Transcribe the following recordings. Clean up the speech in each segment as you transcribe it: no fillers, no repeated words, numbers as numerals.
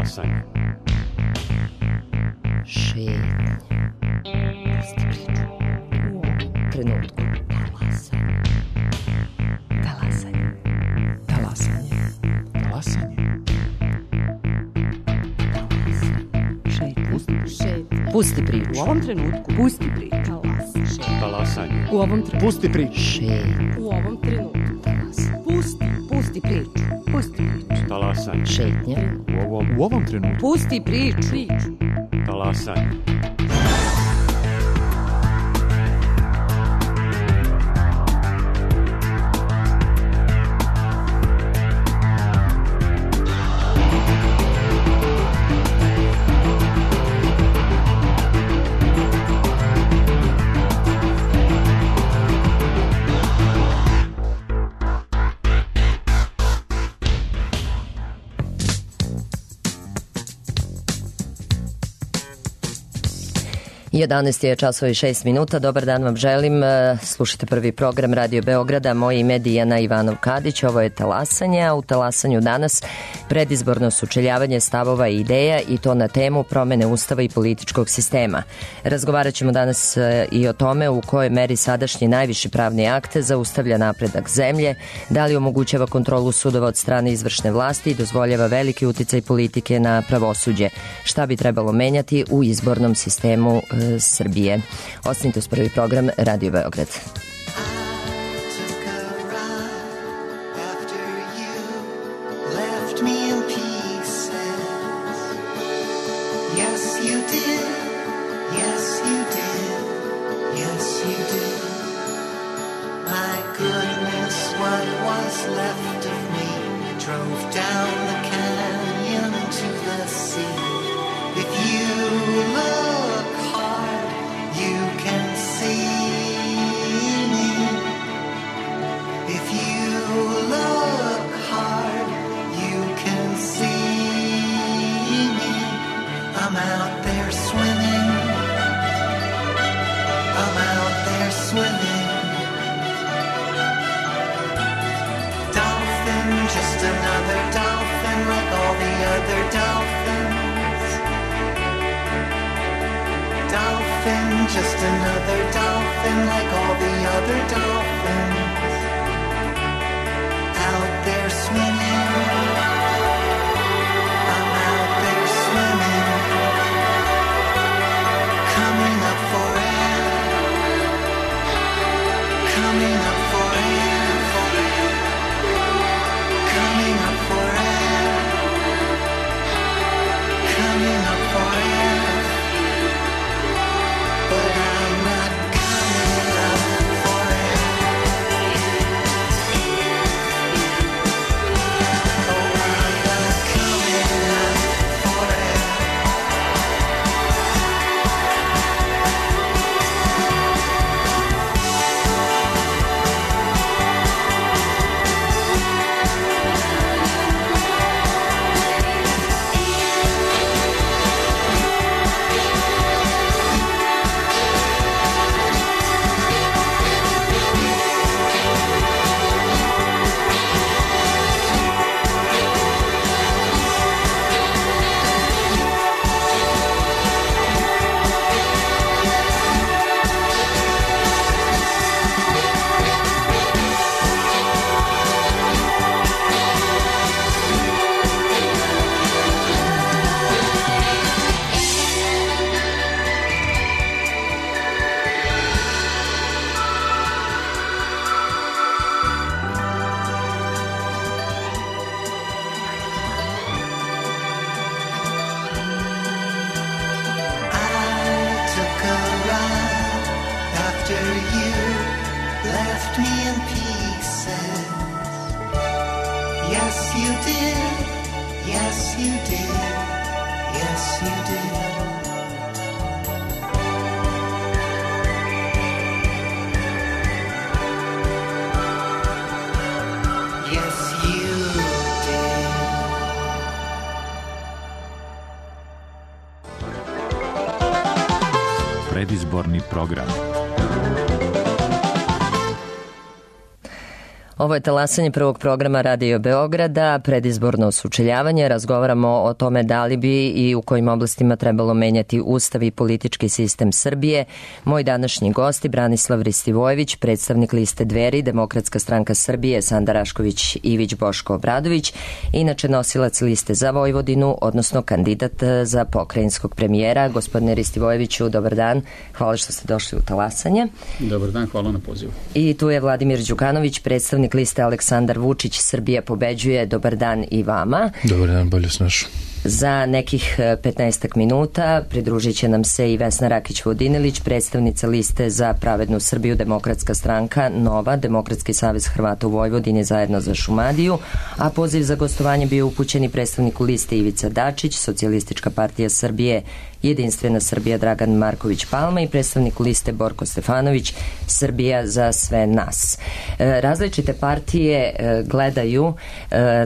Talasanje. Šetnje. Pusti priču. U ovom trenutku. Talasanje. Talasanje. Talasanje. Pusti priču. U ovom trenutku. Pusti priču. Talasanje. U ovom trenutku. Pusti priču. Šetnje. U ovom trenutku. Pusti priču. Pusti priču. Talasanje. Šetnje. U ovom trenutku. Pusti priču. Talasanje. Jedanaest je časova i 6 minuta. Dobar dan vam želim. Slušajte prvi program Radio Beograda. Moje ime je Dijana Ivanov-Kadić. Ovo je Talasanje, a u Talasanju danas predizborno sučeljavanje stavova i ideja i to na temu promene ustava i političkog sistema. Razgovarat ćemo danas i o tome u kojoj meri sadašnji najviši pravni akt zaustavlja napredak zemlje, da li omogućava kontrolu sudova od strane izvršne vlasti i dozvoljava veliki uticaj politike na pravosuđe. Šta bi trebalo menjati u izbornom sistemu Srbije. Ostanite uz prvi program Radio Beograd. Just another dolphin like all the other dolphins out there swimming. I'm out there swimming, coming up for air, coming up for air, coming up for air, coming up for air. But I'm not coming up for it. Oh, I'm not coming up for it. Predizborni program. Ovo je talasanje prvog programa Radio Beograda, predizborno sučeljavanje. Razgovaramo o tome da li bi i u kojim oblastima trebalo menjati ustav i politički sistem Srbije. Moj današnji gosti Branislav Ristivojević, predstavnik liste Dveri, Demokratska stranka Srbije, Sanda Rašković Ivić, Boško Obradović, inače nosilac liste za Vojvodinu, odnosno kandidat za pokrajinskog premijera. Gospodine Ristivojeviću, dobar dan. Hvala što ste došli u talasanje. Dobar dan, hvala na pozivu. I tu je Vladimir Đukanović, predstavnik liste Aleksandar Vučić, Srbija pobeđuje. Dobar dan i vama. Dobar dan, bolje snašu. Za nekih 15 minuta pridružit će nam se i Vesna Rakić-Vodinilić, predstavnica liste za pravednu Srbiju, Demokratska stranka Nova, Demokratski savez Hrvata u Vojvodini zajedno za Šumadiju, a poziv za gostovanje bio upućen i predstavniku liste Ivica Dačić, Socijalistička partija Srbije, Jedinstvena Srbija Dragan Marković Palma i predstavnik liste Borko Stefanović, Srbija za sve nas. Različite partije gledaju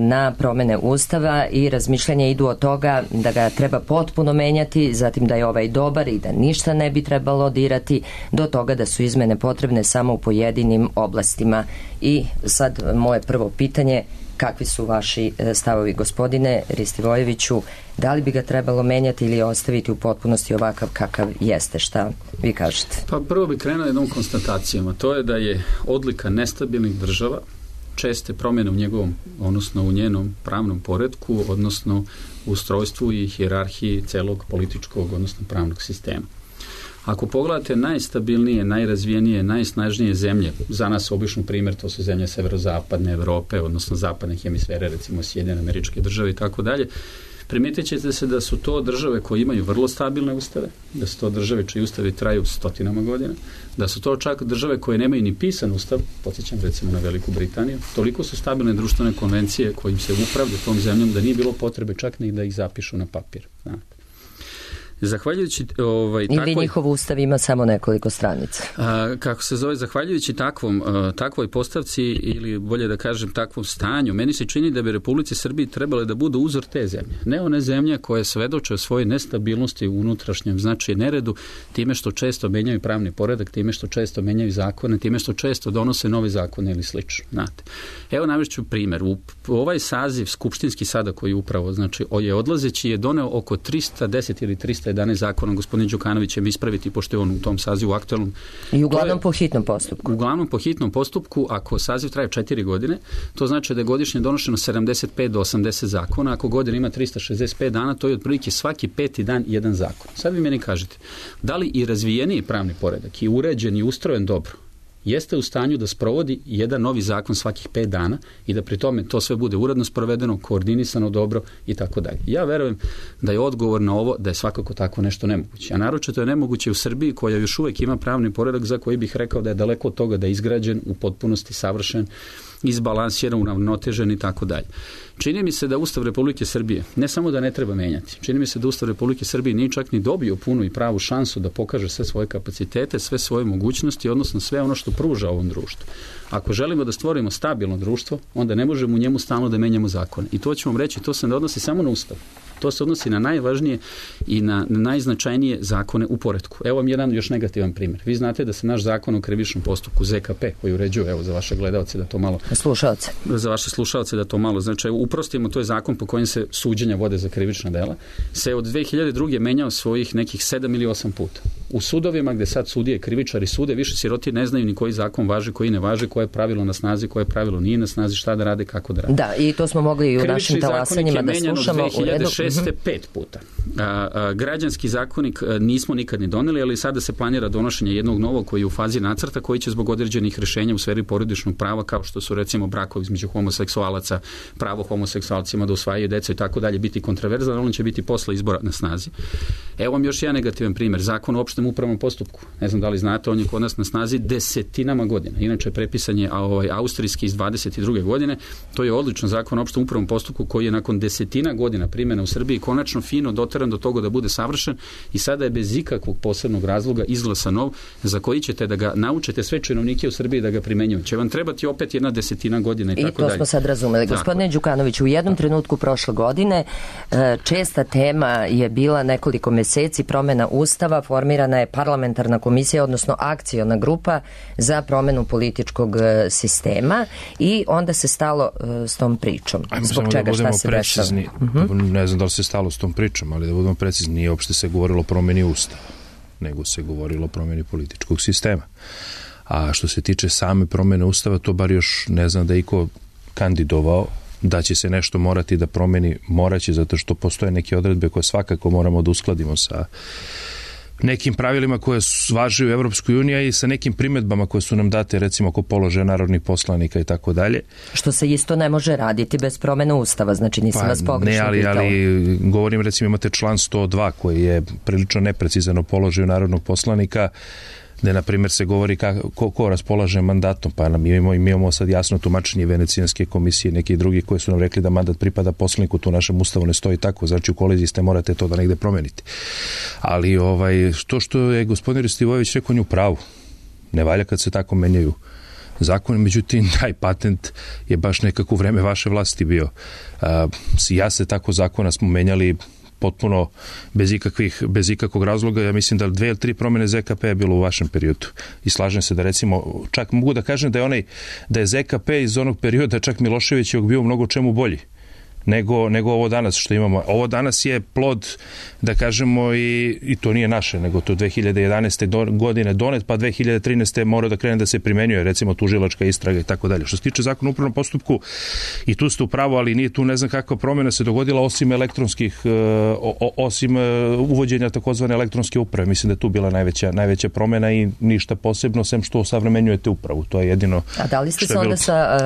na promene ustava i razmišljanja idu od toga da ga treba potpuno menjati, zatim da je ovaj dobar i da ništa ne bi trebalo dirati, do toga da su izmene potrebne samo u pojedinim oblastima. I sad moje prvo pitanje: kakvi su vaši stavovi, gospodine Ristivojeviću? Da li bi ga trebalo menjati ili ostaviti u potpunosti ovakav kakav jeste? Šta vi kažete? Pa prvo bi krenuo jednom konstatacijom, a to je da je odlika nestabilnih država česte promjene u njegovom, odnosno u njenom pravnom poretku, odnosno u ustrojstvu i hijerarhiji celog političkog, odnosno pravnog sistema. Ako pogledate najstabilnije, najrazvijenije, najsnažnije zemlje, za nas obično primjer, to su zemlje severozapadne Evrope, odnosno zapadne hemisfere, recimo Sjedinjene Američke Države i tako dalje, primijetit ćete se da su to države koje imaju vrlo stabilne ustave, da su to države čiji ustavi traju stotinama godina, da su to čak države koje nemaju ni pisan ustav, podsjećam recimo na Veliku Britaniju, toliko su stabilne društvene konvencije kojim se upravlja tom zemljom da nije bilo potrebe čak ni da ih zapišu na papir. Znate. Zahvaljujući ili njihov ustav ima samo nekoliko stranica. Kako se zove, zahvaljujući takvoj postavci, ili bolje da kažem takvom stanju, meni se čini da bi Republici Srbiji trebale da budu uzor te zemlje. Ne one zemlje koje svedoče o svojoj nestabilnosti u unutrašnjem, znači neredu, time što često menjaju pravni poredak, time što često menjaju zakone, time što često donose nove zakone ili slično. Znate. Evo navešću primjer. U ovaj saziv skupštinski sada koji upravo, znači je odlazeći, je doneo oko 310 ili 311 zakona. Gospodin Đukanović će mi ispraviti, pošto je on u tom sazivu aktualnom. I uglavnom po hitnom postupku. Uglavnom po hitnom postupku, ako saziv traje 4 godine, to znači da je godišnje donošeno 75 do 80 zakona. Ako godina ima 365 dana, to je otprilike svaki 5. dan jedan zakon. Sad vi meni kažete, da li i razvijeniji pravni poredak i uređen i ustrojen dobro jeste u stanju da sprovodi jedan novi zakon svakih 5 dana i da pri tome to sve bude uredno sprovedeno, koordinisano dobro i tako dalje. Ja verujem da je odgovor na ovo da je svakako tako nešto nemoguće. A naročito je nemoguće u Srbiji, koja još uvijek ima pravni poredak za koji bih rekao da je daleko od toga da je izgrađen, u potpunosti savršen, izbalansiran, uravnotežen i tako dalje. Čini mi se da Ustav Republike Srbije ne samo da ne treba menjati, čini mi se da Ustav Republike Srbije nije čak ni dobio punu i pravu šansu da pokaže sve svoje kapacitete, sve svoje mogućnosti, odnosno sve ono što pruža ovom društvu. Ako želimo da stvorimo stabilno društvo, onda ne možemo u njemu stalno da menjamo zakone. I to ću vam reći, to se ne odnosi samo na Ustav. To se odnosi na najvažnije i na najznačajnije zakone u poretku. Evo vam jedan još negativan primjer. Vi znate da se naš zakon o krivičnom postupku ZKP, koji uređuje, evo za vaše gledaoce da to malo... Slušaoce. Za vaše slušaoce da to malo, znači uprostimo, to je zakon po kojem se suđenja vode za krivična dela, se od 2002. menjao svojih nekih 7 ili 8 puta. U sudovima gde sad sudije, krivičari sude, više siroti ne znaju ni koji zakon važi, koji ne važi, koje je pravilo na snazi, koje pravilo nije na snazi, šta da rade, kako da rade. Da, i to smo mogli i u našim talasanjima da slušamo. U redu. 2006. 5 puta. Građanski zakonik nismo nikad ni doneli, ali sada se planira donošenje jednog novog koji je u fazi nacrta, koji će zbog određenih rješenja u sferi porodičnog prava, kao što su recimo brakovi između homoseksualaca, pravo homoseksualcima da usvajaju decu i tako dalje, biti kontroverzan, on će biti posle izbora na snazi. Evo vam još jedan negativan primjer. Zakon o opštem upravnom postupku. Ne znam da li znate, on je kod nas na snazi desetinama godina. Inače, prepisan je austrijski iz 22. godine. To je odličan zakon o opštem upravnom postupku koji je nakon desetina godina primjena u Srbiji konačno fino doteran do toga da bude savršen i sada je bez ikakvog posebnog razloga izglasan nov, za koji ćete da ga naučite sve činovnike u Srbiji da ga primenjuju. Će vam trebati opet jedna desetina godina i tako dalje. I to smo sad razumeli. Gospodine Đukanović, u jednom trenutku prošle godine česta tema je bila nekoliko meseci promjena Ustava, formiran formirana je parlamentarna komisija, odnosno akciona grupa za promenu političkog sistema i onda se stalo s tom pričom. Zbog čega, šta se dešava? Ne znam da li se stalo s tom pričom, ali da budemo precizni, nije uopšte se govorilo o promeni Ustava, nego se govorilo o promeni političkog sistema. A što se tiče same promene Ustava, to bar još ne znam da je iko kandidovao. Da će se nešto morati da promeni, moraće, zato što postoje neke odredbe koje svakako moramo da uskladimo sa nekim pravilima koje važe u Evropskoj uniji i sa nekim primedbama koje su nam date, recimo oko položaja narodnih poslanika i tako dalje. Što se isto ne može raditi bez promene Ustava, znači nisam vas pogrešno pitala. Ali govorim, recimo imate član 102 koji je prilično neprecizan o položaju narodnog poslanika, gde, na primjer, se govori ko raspolaže mandatom, pa mi imamo sad jasno tumačenje Venecijanske komisije i neki drugi koji su nam rekli da mandat pripada poslaniku, to u našem ustavu ne stoji tako, znači u koliziji ste, morate to da negde promeniti. Ali to što je gospodin Ristivojević rekao, on je u pravu. Ne valja kad se tako menjaju zakon, međutim, taj patent je baš nekako u vreme vaše vlasti bio. Ja se tako zakona smo menjali potpuno bez ikakvog razloga. Ja mislim da 2 ili 3 promjene ZKP je bilo u vašem periodu. I slažem se da, recimo, čak mogu da kažem da je ZKP iz onog perioda, čak Milošević je bio mnogo čemu bolji nego ovo danas što imamo. Ovo danas je plod, da kažemo, i to nije naše, nego to 2011. godine donet, pa 2013. mora da krene da se primenjuje, recimo tužilačka istraga i tako dalje. Što se tiče zakona o upravnom postupku, i tu ste u pravu, ali nije tu ne znam kakva promjena se dogodila osim uvođenja takozvane elektronske uprave. Mislim da je tu bila najveća promjena i ništa posebno, sem što osavremenjujete upravu. To je jedino. A da li ste se onda sa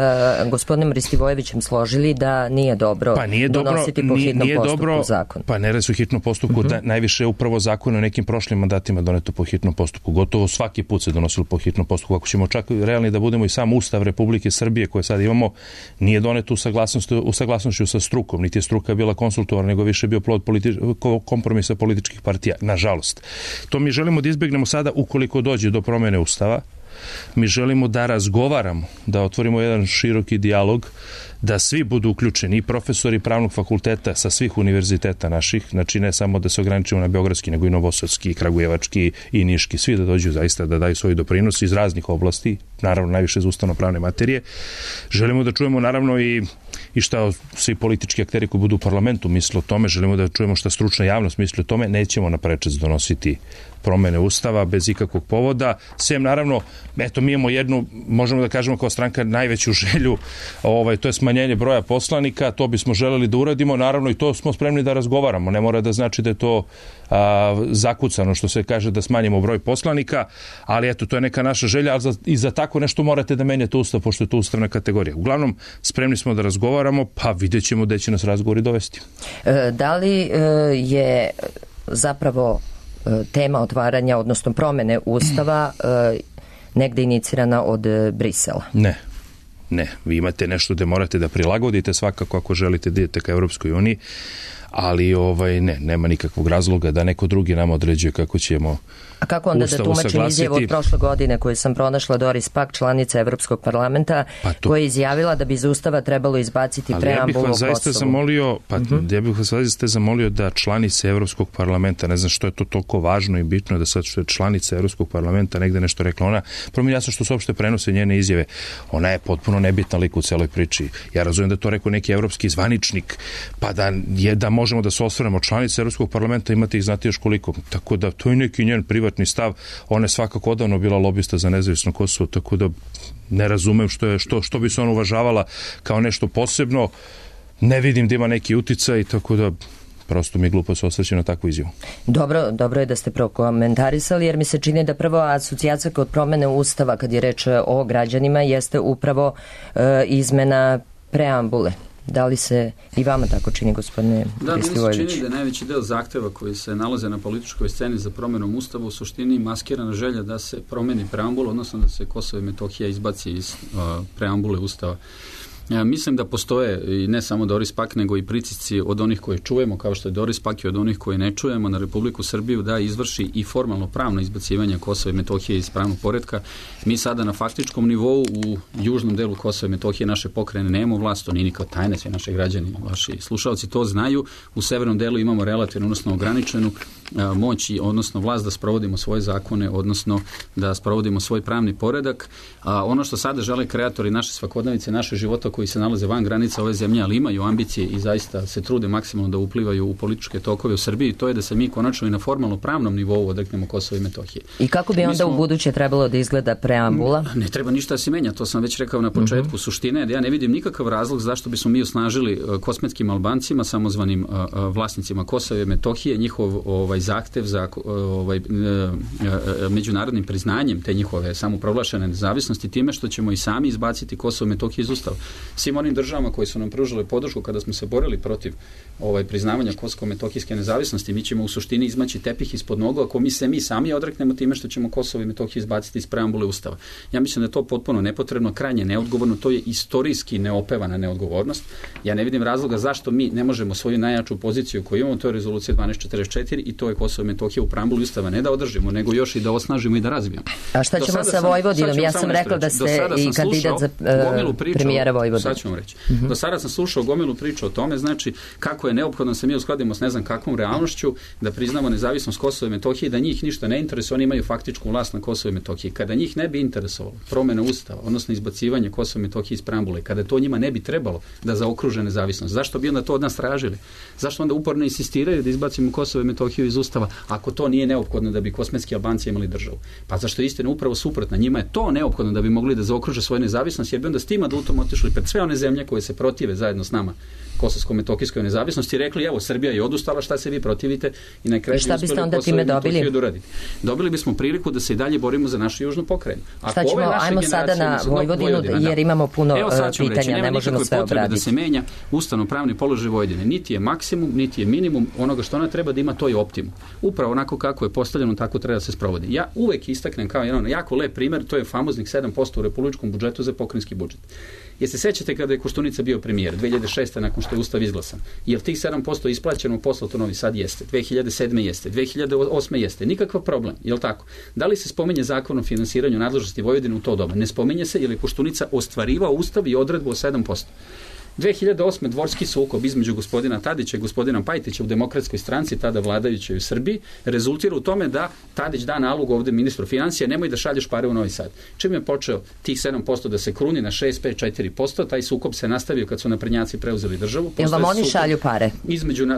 gospodinom Ristivojevićem složili da nije dobro donositi po hitnom postupku zakon? Pa ne radi se o hitnom postupku, najviše je upravo zakon o nekim prošlim mandatima doneto po hitnom postupku. Gotovo svaki put se donosilo po hitnom postupku. Ako ćemo čak realni da budemo, i sam Ustav Republike Srbije koje sad imamo nije doneto u saglasnošću sa strukom, niti je struka bila konsultovana, nego više bio plod kompromisa političkih partija, nažalost. To mi želimo da izbegnemo sada ukoliko dođe do promjene Ustava. Mi želimo da razgovaramo, da otvorimo jedan široki dijalog, da svi budu uključeni, i profesori pravnog fakulteta sa svih univerziteta naših, znači ne samo da se ograničimo na beogradski, nego i novosadski, i kragujevački, i niški, svi da dođu zaista da daju svoj doprinos iz raznih oblasti, naravno najviše za ustavno-pravne materije. Želimo da čujemo naravno i šta svi politički akteri koji budu u parlamentu misle o tome, želimo da čujemo šta stručna javnost misli o tome, nećemo na prečac donositi promene Ustava bez ikakvog povoda, sem naravno, eto, mi imamo jednu, možemo da kažemo kao stranka, najveću želju, to je smanjenje broja poslanika, to bismo želeli da uradimo, naravno i to smo spremni da razgovaramo, ne mora da znači da je to zakucano, što se kaže, da smanjimo broj poslanika, ali eto, to je neka naša želja, ali i za tako nešto morate da menjate Ustav, pošto je to ustavna kategorija. Uglavnom, spremni smo da razgovaramo, pa vidjet ćemo gde će nas razgovori dovesti. Da li je zapravo tema otvaranja, odnosno promene Ustava negde inicirana od Brisela? Ne, vi imate nešto gde morate da prilagodite svakako ako želite da idete ka Evropskoj uniji, ali nema nikakvog razloga da neko drugi nam određuje kako ćemo. A kako onda da tumačim izjavu od prošle godine koju sam pronašla, Doris Pack, članica Evropskog parlamenta, koja je izjavila da bi iz Ustava trebalo izbaciti preambulu o Kosovu? Ja bih vas zaista zamolio da članice Evropskog parlamenta, ne znam što je to toliko važno i bitno da sad što je članica Evropskog parlamenta negde nešto rekla, ona, prvo mi jasno što se uopšte prenose njene izjave, ona je potpuno nebitna lik u celoj priči. Ja razumijem da to rekao neki evropski zvaničnik, pa da možemo da se osvrnemo. Članice Evropskog parlamenta, imate ih, znate još koliko, tako da to je neki njen privatni stav. Ona je svakako odavno bila lobista za nezavisno Kosovo, tako da ne razumem što bi se ona uvažavala kao nešto posebno. Ne vidim da ima neki uticaj, tako da prosto mi je glupo se osvrći na takvu izjavu. Dobro je da ste prokomentarisali, jer mi se čini da prvo asocijacija kod promene Ustava, kad je reč o građanima, jeste upravo izmena preambule. Da li se i vama tako čini, gospodine Ristivojević? Da, mi se čini da je najveći deo zahteva koji se nalaze na političkoj sceni za promenom Ustava u suštini maskirana želja da se promeni preambula, odnosno da se Kosovo i Metohija izbaci iz preambule Ustava. Mislim da postoje i ne samo Doris Pak, nego i pritisci od onih koje čujemo, kao što je Doris Pak, i od onih koje ne čujemo, na Republiku Srbiju da izvrši i formalno pravno izbacivanje Kosova i Metohije iz pravnog poretka. Mi sada na faktičkom nivou u južnom delu Kosova i Metohije naše pokrajine nemamo vlast, to nije nikao tajne, svi naši građani, vaši slušalci to znaju. U severnom delu imamo relativno, odnosno ograničenu moć, odnosno vlast da sprovodimo svoje zakone, odnosno da sprovodimo svoj pravni poredak. Ono što sada žele kreatori naše svakodnevice, naše života koji se nalaze van granica ove zemlje, ali imaju ambicije i zaista se trude maksimalno da uplivaju u političke tokove u Srbiji, to je da se mi konačno i na formalno pravnom nivou odreknemo Kosova i Metohije. I kako bi onda u buduće trebalo da izgleda preambula? Ne treba ništa da se menja, to sam već rekao na početku. Suština je da ja ne vidim nikakav razlog zašto bismo mi osnažili kosmetskim Albancima, samozvanim vlasnicima Kosova i Metohije, njihov zahtev za međunarodnim priznanjem te njihove samoproglašene nezavisnosti time što ćemo i sami izbaciti Kosovo i Metohiju iz Ustava. Svim onim državama koji su nam pružile podršku kada smo se borili protiv priznavanja Kosovo-Metohijske nezavisnosti, mi ćemo u suštini izmaći tepih ispod nogu ako mi sami odreknemo time što ćemo Kosovo i Metohiju izbaciti iz preambule Ustava. Ja mislim da je to potpuno nepotrebno, krajnje neodgovorno, to je istorijski neopevana neodgovornost. Ja ne vidim razloga zašto mi ne možemo svoju najjaču poziciju koju imamo, to je rezolucija 1244 i to je Kosovo i Metohija u preambuli Ustava, ne da održimo, nego još i da osnažimo i da razvijemo. A šta ćemo sa Vojvodinom? Ja sam rekla da ste i kandidat za premijera Vojvodine. Sad ću vam reći. Do sada sam slušao gomilu priču o tome, znači kako je neophodno da se mi uskladimo s ne znam kakvom realnošću, da priznamo nezavisnost Kosova i Metohije, da njih ništa ne interesuje, oni imaju faktičku vlast na Kosovo i Metohiji. Kada njih ne bi interesovalo promjena Ustava, odnosno izbacivanje Kosova i Metohije iz preambule, kada to njima ne bi trebalo da zaokruže nezavisnost, zašto bi onda to od nas tražili? Zašto onda uporno insistiraju da izbacimo Kosovo i Metohiju iz Ustava, ako to nije neophodno da bi kosmetski Albanci imali državu? Pa zašto je istina upravo suprotna? Njima je to neophodno da bi mogli da zaokruže svoju nezavisnost, jer bi onda s tim adutom otišli pred sve one zemlje koje se protive zajedno s nama kosovsko-metohijskoj nezavisnosti i rekli, evo, Srbija je odustala, šta se vi protivite, i na kraju šta biste onda time dobili? Dobili bismo priliku da se i dalje borimo za našu južnu pokrajinu. Šta ćemo, ajmo sada na Vojvodinu, jer imamo puno pitanja, ne možemo sve obraditi. Da se menja ustavno-pravni položaj Vojvodine. Niti je maksimum, niti je minimum onoga što ona treba da ima, to je optimum. Upravo onako kako je postavljeno, tako treba da se sprovodi. Ja uvek istaknem kao jedan jako lep primer, to je famoznih 7% u republičkom budžetu za pokrajinski budžet. Jer se sećate kada je Koštunica bio premijer 2006. nakon što je Ustav izglasan? Jel tih 7% isplaćeno poslato Novi Sad? Jeste. 2007. jeste. 2008. jeste. Nikakav problem. Jel tako? Da li se spominje zakon o finansiranju nadležnosti Vojvodine u to doba? Ne spominje se jer je Koštunica ostvarivao Ustav i odredbu o 7%. 2008. dvorski sukob između gospodina Tadića i gospodina Pajtića u Demokratskoj stranci, tada vladajućoj u Srbiji, rezultira u tome da Tadić da nalog ovde ministru financija, nemoj da šalješ pare u Novi Sad. Čim je počeo tih 7% da se kruni na 6-5-4%, taj sukob se nastavio kad su naprednjaci preuzeli državu. Jel vam oni šalju pare?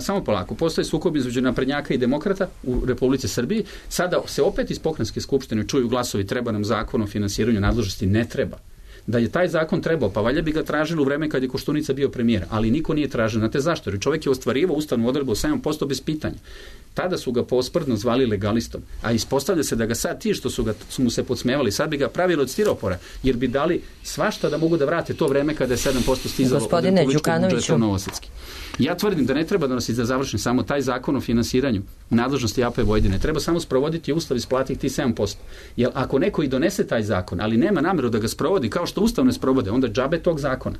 Samo polako. Postoje sukob između naprednjaka i demokrata u Republici Srbiji. Sada se opet iz pokrajinske skupštine čuju glasovi, treba nam zakon o finansiranju nadležnosti, ne treba. Da je taj zakon trebao, pa valjda bi ga tražili u vreme kad je Koštunica bio premijer, ali niko nije tražio. Znate zašto? Jer čovjek je ostvarivao ustavnu odredbu 7% bez pitanja. Tada su ga posprdno zvali legalistom, a ispostavlja se da ga sad ti što su mu se podsmevali, sad bi ga pravili od stiropora, jer bi dali svašta da mogu da vrate to vreme kada je 7% stizalo od republičkog budžeta u Novosadski. Ja tvrdim da ne treba da završim samo taj zakon o finansiranju nadležnosti AP Vojvodine. Treba samo sprovoditi Ustav i isplatiti tih 7%. Jer ako neko i donese taj zakon, ali nema nameru da ga sprovodi kao što Ustav ne sprovode, onda džabe tog zakona.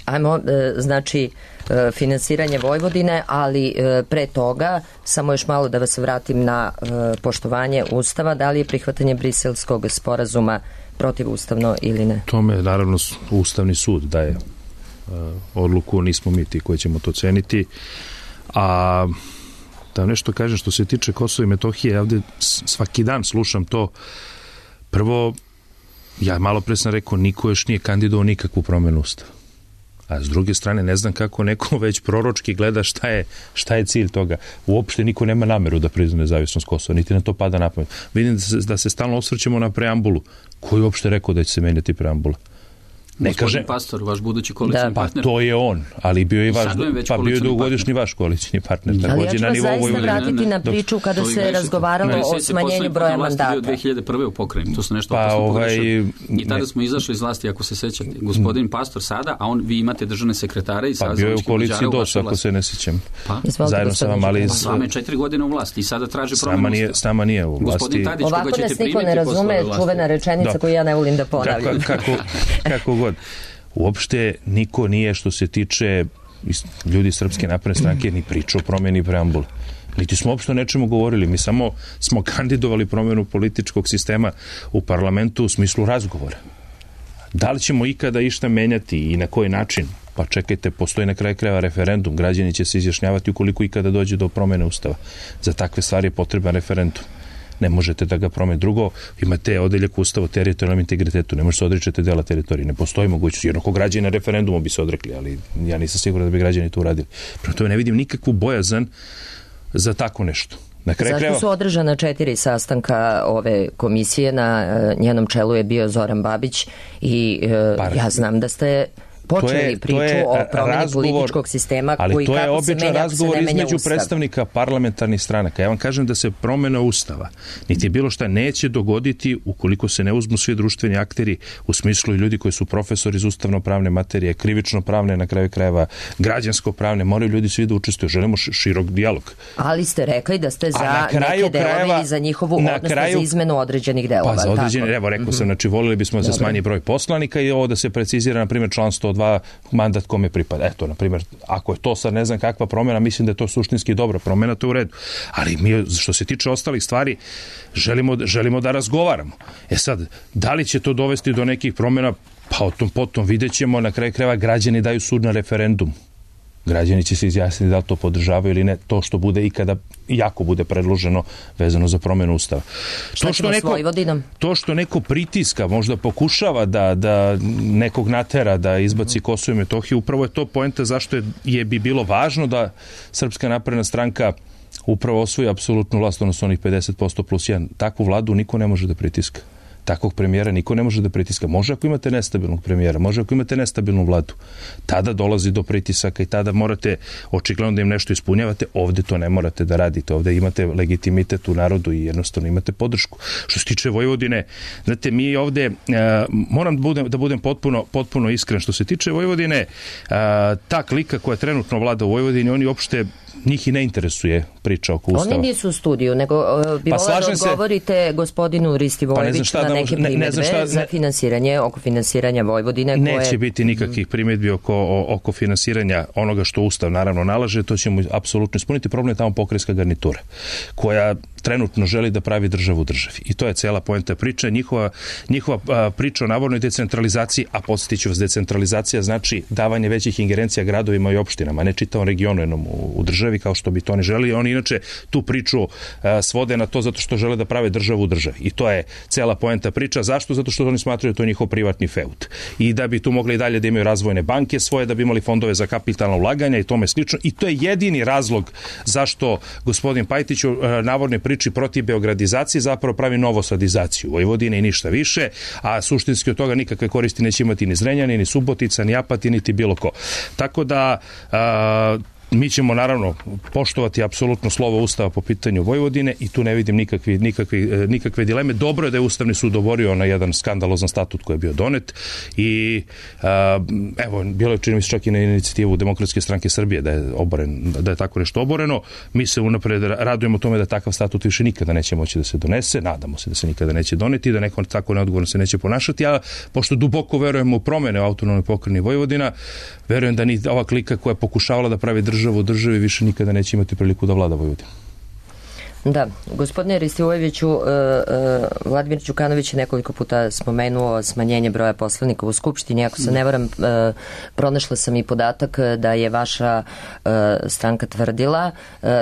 Ajmo, znači, finansiranje Vojvodine, ali pre toga, samo još malo da vas vratim na poštovanje Ustava, da li je prihvatanje Briselskog sporazuma protivustavno ili ne? Tome, naravno, Ustavni sud daje odluku, nismo mi ti koji ćemo to ceniti. A da nešto kažem što se tiče Kosova i Metohije, ja ovde svaki dan slušam to. Prvo, ja malo pre sam rekao, niko još nije kandidovao nikakvu promenu Ustava. A s druge strane, ne znam kako neko već proročki gleda šta je cilj toga. Uopšte niko nema nameru da prizna nezavisnost Kosova, niti na to pada na pamet. Vidim da se stalno osvrćemo na preambulu. Ko je uopšte rekao da će se menjati preambula? Gospodin Pastor, vaš budući koalicijni partner. Pa to je on, ali bio je vaš, pa bio je dugogodišnji vaš koalicijni partner. Ali ja ću vas zaista vratiti na priču kada se razgovaralo o smanjenju broja mandata. 2001. u pokrajini, to se nešto opasno pogrešilo. I tada smo izašli iz vlasti, ako se sećate. Gospodin Pastor sada, a vi imate državne sekretare i pa bio je u koaliciji DOS, ako se ne sjećam. Zajedno sa vam, ali s vama je 4 godine u vlasti i sada traži promjenu Ustava. S nama nije u vlasti. Ovako nas niko ne razume, čuvena rečenica koju ja ne volim da ponavljam. Kako god. uopšte niko nije, što se tiče ljudi Srpske napredne stranke, ni pričao o promjeni preambule. Niti smo uopšte o nečemu govorili. Mi samo smo kandidovali promjenu političkog sistema u parlamentu u smislu razgovora. Da li ćemo ikada išta menjati i na koji način? Pa čekajte, postoji na kraju krajeva referendum. Građani će se izjašnjavati ukoliko ikada dođe do promjene ustava. Za takve stvari je potreban referendum. Ne možete da ga promeni. Drugo, imate odeljak ustava o teritorijalnom integritetu. Ne možete se odrećete dela teritorije. Ne postoji mogućnost. Jednako građani na referendumu bi se odrekli, ali ja nisam siguran da bi građani to uradili. Prema tome ne vidim nikakvu bojazan za tako nešto. Zašto su održana 4 sastanka ove komisije, na njenom čelu je bio Zoran Babić i ja znam da ste počeli priču o promjeni političkog sistema koji kako se menja, ako se ne menja Ustav. Ali to je običan razgovor između predstavnika parlamentarnih stranaka. Ja vam kažem da se promjena Ustava, niti bilo šta neće dogoditi ukoliko se ne uzmu svi društveni akteri, u smislu i ljudi koji su profesori iz ustavno-pravne materije, krivično-pravne, na kraju krajeva građansko-pravne, moraju ljudi svi da učestvuju. Želimo širok dijalog. Ali ste rekli da ste za neke delove i za njihovu, odnosno za izmenu određenih delova. Pa za određene, evo rekao sam, znači volili bismo da se smanji broj poslanika i ovo da se precizira, na primjer, član 102 mandat kome pripada. Eto, na primjer, ako je to sad ne znam kakva promjena, mislim da je to suštinski dobra promjena, to je u redu. Ali mi, što se tiče ostalih stvari, želimo da razgovaramo. E sad, da li će to dovesti do nekih promjena? Pa o tom potom vidjet ćemo. Na kraju krajeva građani daju sud na referendum. Građani će se izjasniti da li to podržavaju ili ne, to što bude ikada jako bude predloženo vezano za promjenu Ustava. To što neko pritiska, možda pokušava da nekog natera da izbaci Kosovo i Metohiju, upravo je to poenta zašto bi bilo važno da Srpska napredna stranka upravo osvoji apsolutnu vlast, odnosno onih 50% plus 1. Takvu vladu niko ne može da pritiska. Takvog premijera niko ne može da pritiska. Može ako imate nestabilnog premijera, može ako imate nestabilnu vladu. Tada dolazi do pritisaka i tada morate očigledno da im nešto ispunjavate. Ovde to ne morate da radite. Ovde imate legitimitet u narodu i jednostavno imate podršku. Što se tiče Vojvodine, znate, mi ovde, moram da budem potpuno iskren, što se tiče Vojvodine, ta klika koja trenutno vlada u Vojvodini, oni uopšte njih i ne interesuje priča oko Ustava. Oni nisu u studiju, nego bi volio da odgovorite gospodinu Ristivojeviću na neke primjedbe za finansiranje, oko finansiranja Vojvodine. Neće biti nikakvih primjedbi oko finansiranja onoga što Ustav naravno nalaže, to ćemo apsolutno ispuniti. Problem je tamo pokrajinska garnitura, koja trenutno želi da pravi državu u državi. I to je cela poenta priče. Njihova priča o navodnoj decentralizaciji, a podsjetit ću vas, decentralizacija znači davanje većih ingerencija gradovima i opštinama, ne čitavom regionu jednom u državi, kao što bi to ne želi. Oni inače tu priču svode na to zato što žele da prave državu u državi. I to je cela poenta priča. Zašto? Zato što oni smatraju da to je njihov privatni feud. I da bi tu mogli i dalje da imaju razvojne banke svoje, da bi imali fondove za kapitalna ulaganja i tome slično. I to je jedini razlog zašto gospodin Pajtić u navodnoj priči protiv beogradizacije zapravo pravi novosadizaciju Vojvodine i ništa više, a suštinski od toga nikakve koristi neće imati ni Zrenjanin, ni Subotica, ni Apatin, niti bilo ko. Tako da mi ćemo naravno poštovati apsolutno slovo Ustava po pitanju Vojvodine i tu ne vidim nikakve dileme. Dobro je da je Ustavni sud oborio na jedan skandalozan statut koji je bio donet i evo, bilo je čini mi se čak i na inicijativu Demokratske stranke Srbije da je tako nešto oboreno. Mi se unapred radujemo tome da takav statut više nikada neće moći da se donese. Nadamo se da se nikada neće doneti, da neko tako neodgovorno se neće ponašati, a pošto duboko verujemo u promene u autonomnoj pokrajini Vojvodina, verujem da ni ova klika koja je pokušavala da pravi državu u državi više nikada neće imati priliku da vlada Vojvodina. Da, gospodine Ristivojeviću, Vladimir Đukanović je nekoliko puta spomenuo smanjenje broja poslanika u Skupštini. Ako se ne varam, pronašla sam i podatak da je vaša stranka tvrdila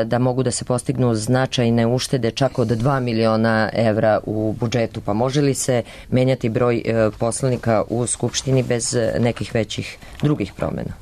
da mogu da se postignu značajne uštede čak od 2 miliona evra u budžetu. Pa može li se menjati broj poslanika u Skupštini bez nekih većih drugih promjena?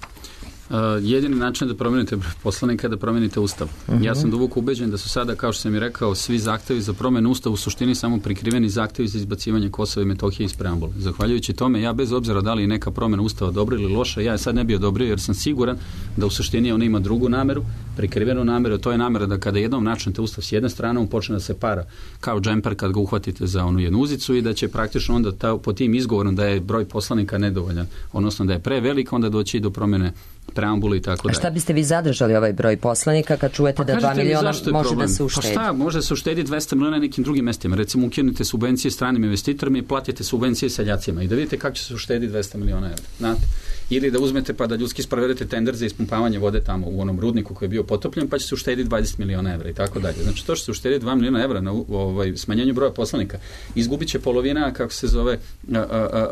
Jedini način da promenite poslanika je da promenite Ustav. Ja sam duboko ubeđen da su sada, kao što sam i rekao, svi zahtevi za promenu Ustava u suštini samo prikriveni zahtevi za izbacivanje Kosova i Metohije iz preambule. Zahvaljujući tome, ja bez obzira da li je neka promena Ustava dobra ili loša, ja sad ne bi odobrio jer sam siguran da u suštini ona ima drugu nameru, prikrivenu nameru, to je namera da kada jednom načnete Ustav s jedne strane, on počne da se para kao džemper kad ga uhvatite za onu jednu uzicu i da će praktično onda po tim izgovorom da je broj poslanika nedovoljan, odnosno da je prevelik, onda doći do promene preambulu i tako A dalje. šta biste vi zadržali ovaj broj poslanika kad čujete da 2 kažete mi miliona zašto je može problem? da se uštedi? Pa šta, može da se uštedi 200 miliona na nekim drugim mestima. Recimo, ukinete subvencije stranim investitorima i platite subvencije seljacima i da vidite kako će se uštedi 200 miliona evra. Znate? Ili da uzmete pa da ljudski sprovedete tender za ispumpavanje vode tamo u onom rudniku koji je bio potopljen, pa će se uštediti 20 miliona evra i tako dalje. Znači, to što se uštedi 2 miliona evra na smanjenju broja poslanika, izgubit će polovina, kako se zove,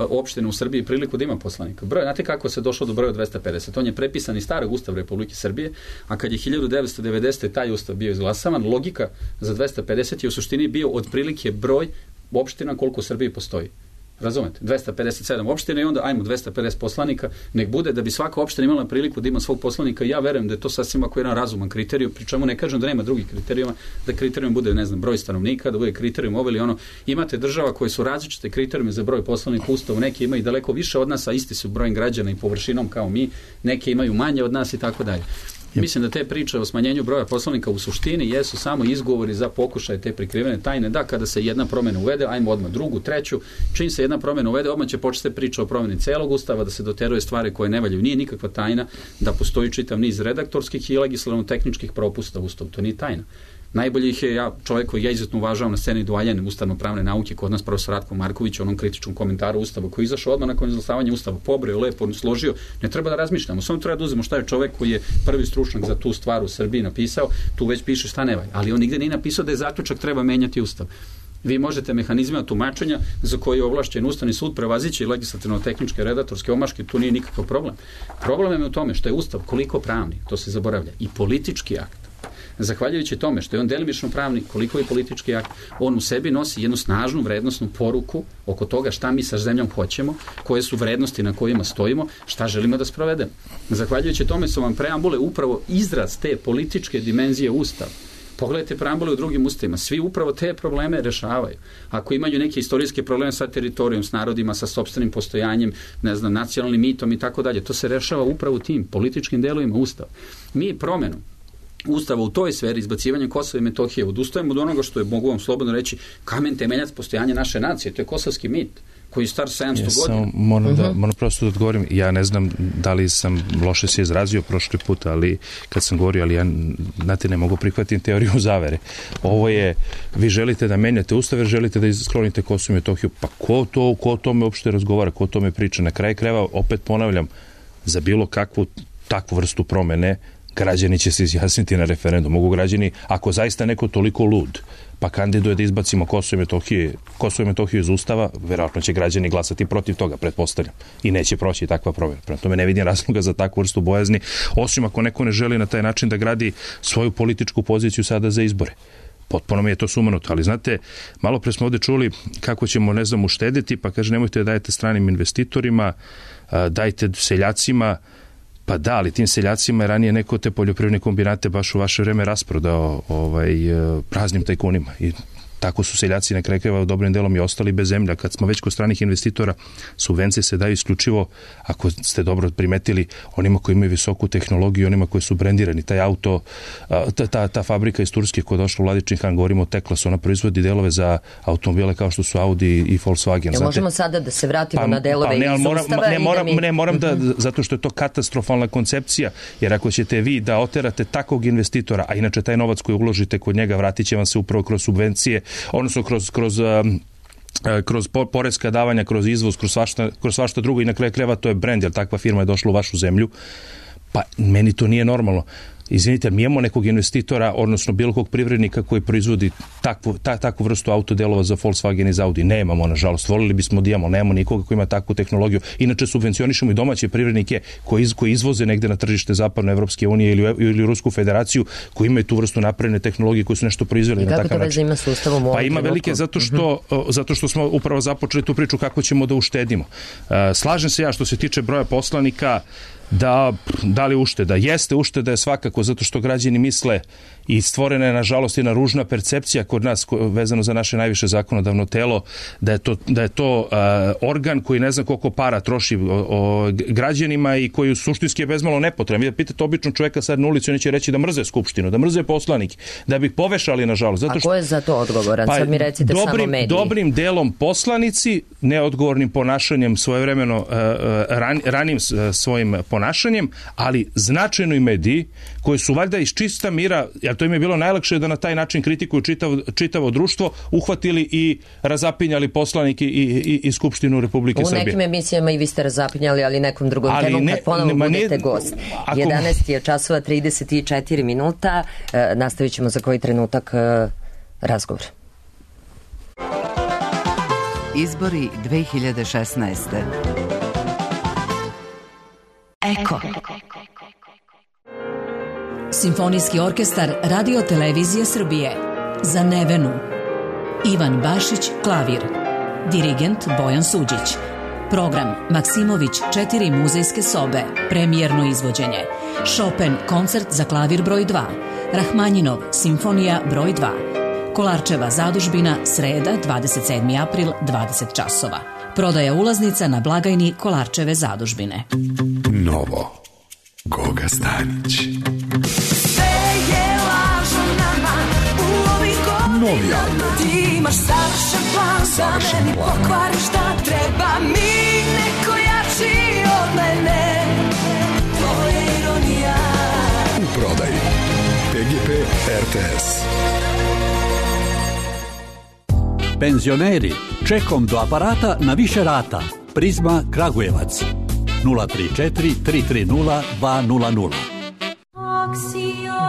opština u Srbiji priliku da ima poslanika. Znate kako se došlo do broja 250? On je prepisan iz starog Ustava Republike Srbije, a kad je 1990. taj Ustav bio izglasavan, logika za 250 je u suštini bio otprilike broj opština koliko u Srbiji postoji. Razumete? 257 opština i onda ajmo 250 poslanika, nek bude da bi svaka opština imala priliku da ima svog poslanika i ja verujem da je to sasvim ako jedan razuman kriterijum, pri čemu ne kažem da nema drugih kriterijuma, da kriterijum bude, ne znam, broj stanovnika, da bude kriterijum ovo ili ono. Imate država koje su različite kriterijume za broj poslanika u Ustavu, neki imaju daleko više od nas, a isti su brojem građana i površinom kao mi, neke imaju manje od nas i tako dalje. Mislim da te priče o smanjenju broja poslanika u suštini jesu samo izgovori za pokušaje te prikrivene tajne, da kada se jedna promjena uvede, ajmo odmah drugu, treću, čim se jedna promjena uvede, odmah će početi priča o promjeni celog Ustava, da se doteruje stvari koje ne valjaju. Nije nikakva tajna da postoji čitav niz redaktorskih i legislativno-tehničkih propusta u Ustavu, to nije tajna. Najbolji ih je čovjek koji ja izuzetno uvažavam na sceni dualjen ustavno-pravne nauke kod nas, profesor Ratko Marković, onom kritičkom komentaru Ustava koji je izašao odmah nakon izglasavanja Ustava, pobreo, lepo složio, ne treba da razmišljamo, samo treba da uzmemo šta je čovjek koji je prvi stručnjak za tu stvar u Srbiji napisao, tu već piše šta ne valja, ali on nigde nije napisao da je zaključak treba menjati Ustav. Vi možete mehanizmima tumačenja za koji je ovlašćen Ustavni sud prevazići legislativno-tehničke redaktorske omaške, tu nije nikakav problem. Problem je u tome što je Ustav koliko pravni, to se zaboravlja, i politički akt. Zahvaljujući tome što je on delimično pravni, koliko je politički akt, on u sebi nosi jednu snažnu vrednostnu poruku oko toga šta mi sa zemljom hoćemo, koje su vrednosti na kojima stojimo, šta želimo da sprovedemo. Zahvaljujući tome su vam preambule upravo izraz te političke dimenzije Ustava. Pogledajte preambule u drugim ustavima, svi upravo te probleme rešavaju. Ako imaju neke istorijske probleme sa teritorijom, s narodima, sa sopstvenim postojanjem, ne znam, nacionalnim mitom i tako dalje, to se rešava upravo tim političkim delovima Ustava. Mi promenom Ustava u toj sferi, izbacivanjem Kosova i Metohije, odustajemo od onoga što je, mogu vam slobodno reći, kamen temeljac postojanja naše nacije, to je kosovski mit koji je star 700 godina. Moram prosto da odgovorim, ja ne znam da li sam loše se izrazio prošli put, ali kad sam govorio, ali ja, znate, ne mogu prihvatiti teoriju zavere. Ovo je, vi želite da menjate Ustav, jer želite da sklonite Kosovo i Metohiju, pa ko o tome uopšte razgovara, ko o tome priča? Na kraju krajeva, opet ponavljam, za bilo kakvu takvu vrstu promene građani će se izjasniti na referendum. Mogu građani, ako zaista neko toliko lud, pa kandiduje da izbacimo Kosovo i Metohiju iz Ustava, verovatno će građani glasati protiv toga, pretpostavljam. I neće proći takva promjena. Prema tome ne vidim razloga za takvu vrstu bojazni, osim ako neko ne želi na taj način da gradi svoju političku poziciju sada za izbore. Potpuno mi je to sumanuto, ali znate, malo pre smo ovdje čuli kako ćemo, ne znam, uštediti, pa kaže nemojte da dajete stranim investitorima, dajte seljacima. Pa da, ali tim seljacima je ranije neko te poljoprivredne kombinate baš u vaše vreme rasprodao praznim tajkunima i tako su seljaci na kraju krajeva dobrim delom i ostali bez zemlja. Kad smo već kod stranih investitora, subvencije se daju isključivo, ako ste dobro primetili, onima koji imaju visoku tehnologiju, onima koji su brendirani. Taj auto, ta fabrika iz Turske koja je došla u Vladičin Han, govorimo o Teklas, ona proizvodi delove za automobile kao što su Audi i Volkswagen. Ja, možemo sada da se vratimo na delove iz Ustava? Moram da, zato što je to katastrofalna koncepcija, jer ako ćete vi da oterate takvog investitora, a inače taj novac koji uložite kod njega vratit će vam se upravo kroz subvencije, odnosno kroz poreska davanja, kroz izvoz, kroz svašta drugo i na kraju krajeva to je brend, jer takva firma je došla u vašu zemlju. Pa meni to nije normalno. Izvinite, mi imamo nekog investitora, odnosno bilo kog privrednika koji proizvodi takvu vrstu autodelova za Volkswagen i za Audi. Nemamo, nažalost. Volili bismo da imamo, nemamo nikoga koji ima takvu tehnologiju. Inače, subvencionišemo i domaće privrednike koji izvoze negde na tržište Zapadne Evropske unije ili Rusku federaciju, koji imaju tu vrstu napredne tehnologije, koji su nešto proizveli na takav način. I kako to veze ima s Ustavom u ovom ima velike, zato što smo upravo započeli tu priču kako ćemo da uštedimo. Slažem se ja što se tiče broja poslanika, da li ušteda? Jeste, ušteda je svakako zato što građani misle i stvorena je nažalost jedna ružna percepcija kod nas vezano za naše najviše zakonodavno telo da je to organ koji ne zna koliko para troši građanima i koji suštinski je bezmalo nepotreban. Vi da pitate običnog čovjeka sad na ulici, oni će reći da mrze skupštinu, da mrze poslanike, da bi ih povešali nažalost. Zato što, a ko je za to odgovoran? Sad mi recite samo mediji. Dobrim delom poslanici, neodgovornim ponašanjem svojevremeno ranim svojim ponašanjem ponašanjem, ali značajno mediji koji su valjda iz čista mira, jer to im je bilo najlakše da na taj način kritikuju čitavo društvo, uhvatili i razapinjali poslanike i Skupštinu Republike Srbije. U nekim emisijama i vi ste razapinjali, ali nekom drugom temom kad ponovo budete gost. 11 je časova 34 minuta. Nastavit ćemo za koji trenutak razgovor. Izbori 2016. Eko. Simfonijski orkestar Radio Televizije Srbije. Za Nevenu. Ivan Bašić, klavir. Dirigent Bojan Suđić. Program Maksimović 4 muzejske sobe. Premijerno izvođenje. Chopin koncert za klavir broj 2. Rahmanjinov Simfonija broj 2. Kolarčeva zadužbina, sreda, 27. april, 20 časova. Prodaja ulaznica na blagajni Kolarčeve zadužbine. Novo. Goga Stanić. Novi album. Ti imaš savršen plan za meni, pokvariš šta treba mi, neko jači od mene. To je ironija. U prodaji PGP RTS. Penzioneri, čekom do aparata na više rata. Prizma Kragujevac 034 330 200.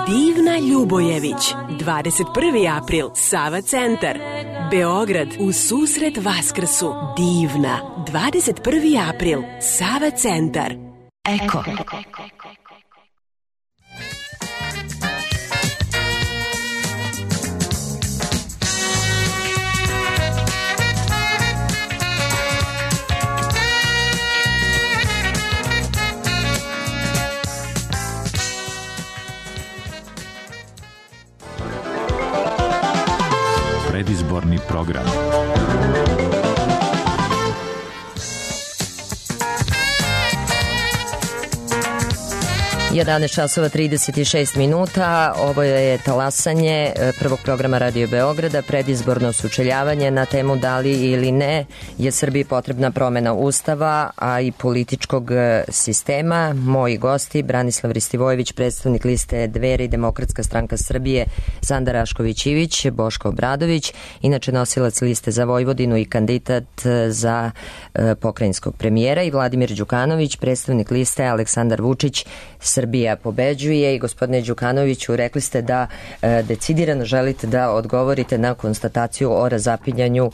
Divna Ljubojević, 21. april, Sava centar, Beograd, u susret Vaskrsu. Divna, 21. april, Sava centar. Eko. Predizborni program. 11 časova 36 minuta. Ovo je talasanje prvog programa Radio Beograda, predizborno sučeljavanje na temu da li ili ne je Srbiji potrebna promena Ustava, a i političkog sistema. Moji gosti, Branislav Ristivojević, predstavnik liste Dveri, Demokratska stranka Srbije, Sanda Rašković-Ivić, Boško Obradović, inače nosilac liste za Vojvodinu i kandidat za pokrajinskog premijera, i Vladimir Đukanović, predstavnik liste Aleksandar Vučić, Srbija pobeđuje. I gospodine Đukanoviću, rekli ste da decidirano želite da odgovorite na konstataciju o razapinjanju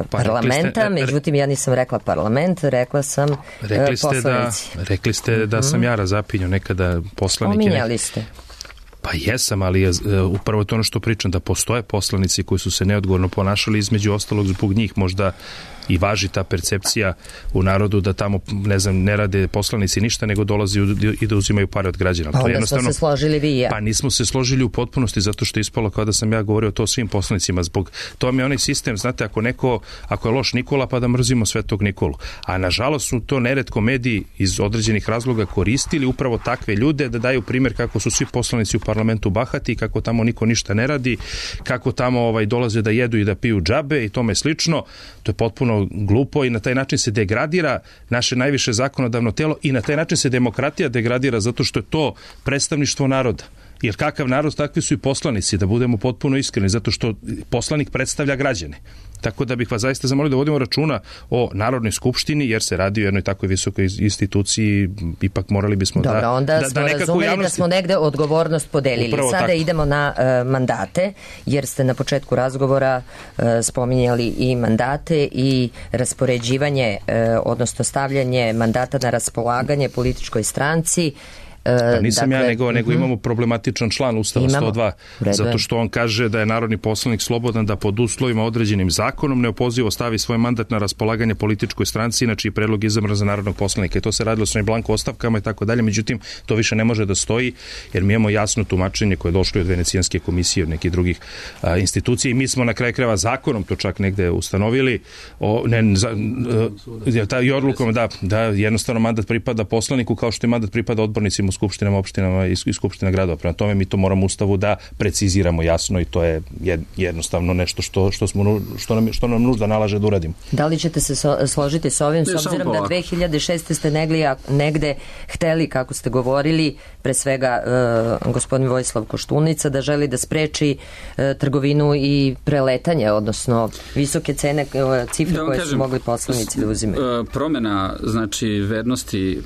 parlamenta, međutim ja nisam rekla parlament, rekla sam poslanici. Rekli ste da sam ja razapinjao nekada poslanike. Ominjali ste. Pa jesam, ali upravo to ono što pričam, da postoje poslanici koji su se neodgovorno ponašali, između ostalog zbog njih možda i važi ta percepcija u narodu da tamo, ne znam, ne rade poslanici ništa, nego dolazi i da uzimaju pare od građana. Pa onda smo se složili vi i ja. Pa nismo se složili u potpunosti, zato što je ispalo kao da sam ja govorio to svim poslanicima. Zbog to mi je onaj sistem, znate, ako je loš Nikola, pa da mrzimo Svetog Nikolu. A nažalost su to neretko mediji iz određenih razloga koristili upravo takve ljude da daju primjer kako su svi poslanici u parlamentu bahati, kako tamo niko ništa ne radi, kako tamo dolaze da jedu i da piju džabe i tome slično. To je potpuno glupo i na taj način se degradira naše najviše zakonodavno telo i na taj način se demokratija degradira, zato što je to predstavništvo naroda. Jer kakav narod, takvi su i poslanici, da budemo potpuno iskreni, zato što poslanik predstavlja građane. Tako da bih vas zaista zamolio da vodimo računa o Narodnoj skupštini, jer se radi o jednoj takvoj visokoj instituciji, ipak morali bismo Dobro, onda smo razumeli javnosti... da smo negde odgovornost podelili. Upravo sada tako. Idemo na mandate, jer ste na početku razgovora spominjali i mandate i raspoređivanje, odnosno stavljanje mandata na raspolaganje političkoj stranci. Pa nisam ja, nego imamo problematičan član Ustava 102, zato što on kaže da je narodni poslanik slobodan da pod uslovima određenim zakonom neopozivo stavi svoj mandat na raspolaganje političkoj stranci, inače i predlog izabran za narodnog poslanika. I to se radilo s blanko ostavkama i tako dalje, međutim to više ne može da stoji, jer mi imamo jasno tumačenje koje je došlo od Venecijanske komisije, od nekih drugih institucija, i mi smo na kraju krajeva zakonom to čak negde ustanovili, i odlukom da jednostavno mandat pripada poslaniku kao što i mandat pripada odbornicima u skupštinama, opštinama i skupština gradova. Prema tome mi to moramo u Ustavu da preciziramo jasno i to je jednostavno nešto što nam nužda nalaže da uradimo. Da li ćete se složiti s ovim, s obzirom da 2006. ste negde hteli, kako ste govorili, pre svega gospodin Vojislav Koštunica, da želi da spreči trgovinu i preletanje, odnosno visoke cene, cifre koje su mogli poslanici da uzimaju? Promjena, znači, vernosti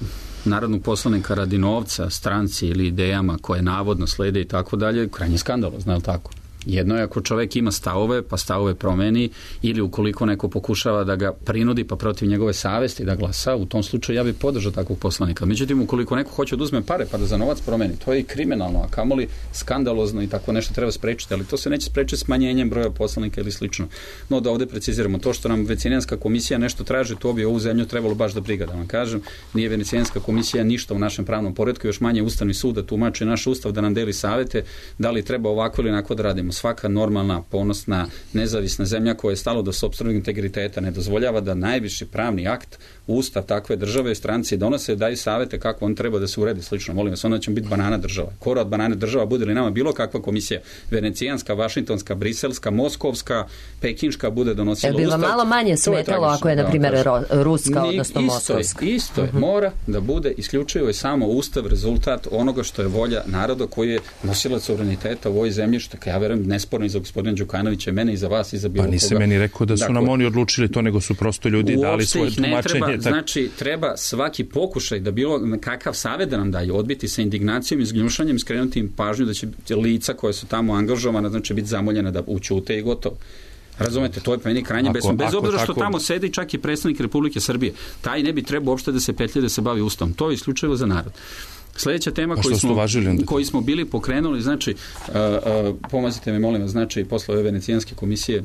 narodnog poslanika radi novca, stranci ili idejama koje navodno slede i tako dalje, krajnje skandalozno, je li tako? Jedno je ako čovek ima stavove, pa stavove promeni, ili ukoliko neko pokušava da ga prinudi pa protiv njegove savesti da glasa, u tom slučaju ja bih podržao takvog poslanika. Međutim, ukoliko neko hoće da uzme pare pa da za novac promeni, to je i kriminalno, a kamoli skandalozno i tako nešto treba sprečiti, ali to se neće sprečiti smanjenjem broja poslanika ili slično. No da ovde preciziramo, to što nam Venecijanska komisija nešto traži, to bi ovu zemlju trebalo baš da briga, da vam kažem. Nije Venecijanska komisija ništa u našem pravnom poretku, još manje Ustavni sud da tumači naš ustav, da nam deli savete, da li treba ovako ili onako da radimo. Svaka normalna, ponosna, nezavisna zemlja koja je stalo do sopstvenog integriteta ne dozvoljava da najviši pravni akt, ustav takve države i stranci donose, daju savete kako on treba da se uredi slično. Molim vas, onda ćemo biti banana država. Kora od banane država bude li nama bilo kakva komisija, venecijanska, vašingtonska, briselska, moskovska, pekinška bude donosila ustav. Bi vam malo manje smetalo ako je, na primjer, ruska, odnosno moskovska? Isto je. Mora da bude isključivo i samo ustav rezultat onoga što je volja naroda koji je nosilac suvereniteta u ovoj zemlji, što ja verujem nesporno i za gospodina Đukanovića, mene i za vas i za bilo koga. Pa nisi meni rekao da su nam oni odlučili to, nego su prosto ljudi dali svoje tumačenje. Znači, treba svaki pokušaj da bilo kakav savjet da nam daju, odbiti sa indignacijom i zgnjušanjem, skrenuti im pažnju da će lica koje su tamo angažovana, znači biti zamoljena da učute i gotovo. Razumete, to je pa meni krajnje besmisleno. Bez obzira što tamo sedi čak i predstavnik Republike Srbije. Taj ne bi trebao uopšte da se petlje da se bavi ustavom. To je isključivo za narod. Sljedeća tema koju smo bili pokrenuli, znači, pomazite me, molim vas, znači, posle ove Venecijanske komisije.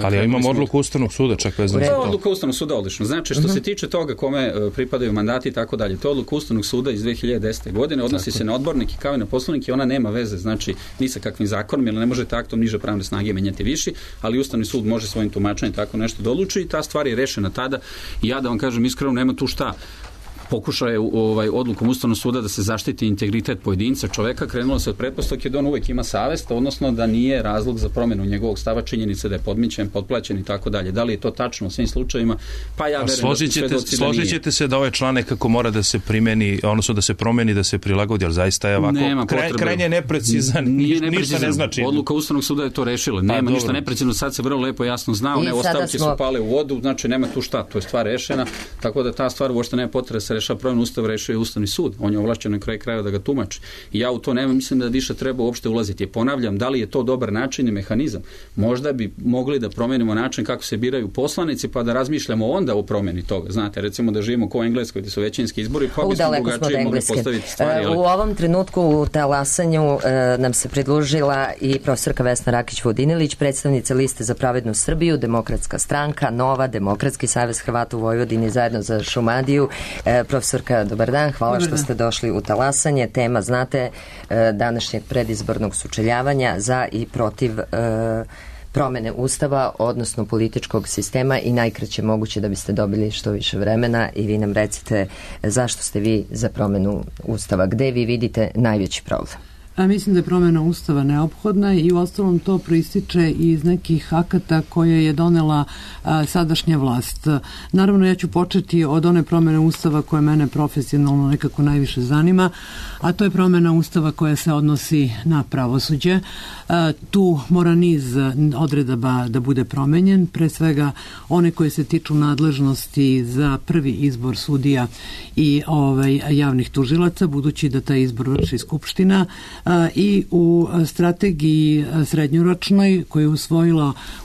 Ali imamo odluku Ustavnog suda, čak vezano za to. Odluka Ustavnog suda, odlično. Znači, što se tiče toga kome pripadaju mandati i tako dalje, to je odluka Ustavnog suda iz 2010. godine, odnosi se na odbornike kao i na poslanike, ona nema veze, znači, ni sa kakvim zakonom, jer ne možete aktom niže pravne snage menjati viši, ali Ustavni sud može svojim tumačenjem tako nešto da odluči i ta stvar je rešena tada. I ja da vam kažem iskreno, nema tu šta. Pokušao je odlukom Ustavnog suda da se zaštiti integritet pojedinca, čoveka, krenulo se od pretpostavke da on uvek ima savest, odnosno da nije razlog za promjenu njegovog stava, činjenice da je podmićen, potplaćen i tako dalje. Da li je to tačno u svim slučajevima? Pa ja verujem da su svedoci da nije. Složit ćete se da ovaj član nekako mora da se primeni, odnosno da se promeni, da se prilagodi, ali zaista je ovako krajnje neprecizan, ništa ne znači. Odluka Ustavnog suda je to rešila. Nema ništa neprecizno, sad se vrlo lepo jasno zna, one ostavke su pale u vodu, znači nema tu šta, to je stvar rešena, tako da ta stvar uopšte nema potrebe se rešava promjenu Ustava, rešio je Ustavni sud. On je ovlašćen na kraju krajeva da ga tumači. I ja u to nema, mislim da više treba uopšte ulaziti. Ponavljam, da li je to dobar način i mehanizam? Možda bi mogli da promenimo način kako se biraju poslanici, pa da razmišljamo onda o promjeni toga. Znate, recimo da živimo kao u Engleskoj, gdje su većinski izbori, pa bismo drugačije mogli postaviti stvari. U ovom trenutku u talasanju nam se pridružila i profesorka Vesna Rakić-Vodinilić, predstavnica Liste za pravednu Srbiju, Demokratska stranka, Nova, Demokratski savez Hrvata u Vojvodini, zajedno za Šumadiju. Profesorka, dobar dan, hvala što ste došli u talasanje. Tema, znate, današnjeg predizbornog sučeljavanja za i protiv promene Ustava, odnosno političkog sistema, i najkraće moguće da biste dobili što više vremena i vi nam recite zašto ste vi za promenu Ustava, gde vi vidite najveći problem. Mislim da je promjena Ustava neophodna i uostalom to proističe iz nekih akata koje je donela sadašnja vlast. Naravno, ja ću početi od one promjene Ustava koje mene profesionalno nekako najviše zanima, a to je promjena Ustava koja se odnosi na pravosuđe. Tu mora niz odredaba da bude promenjen, pre svega one koje se tiču nadležnosti za prvi izbor sudija i javnih tužilaca, budući da taj izbor vrši Skupština, i u strategiji srednjoročnoj koju je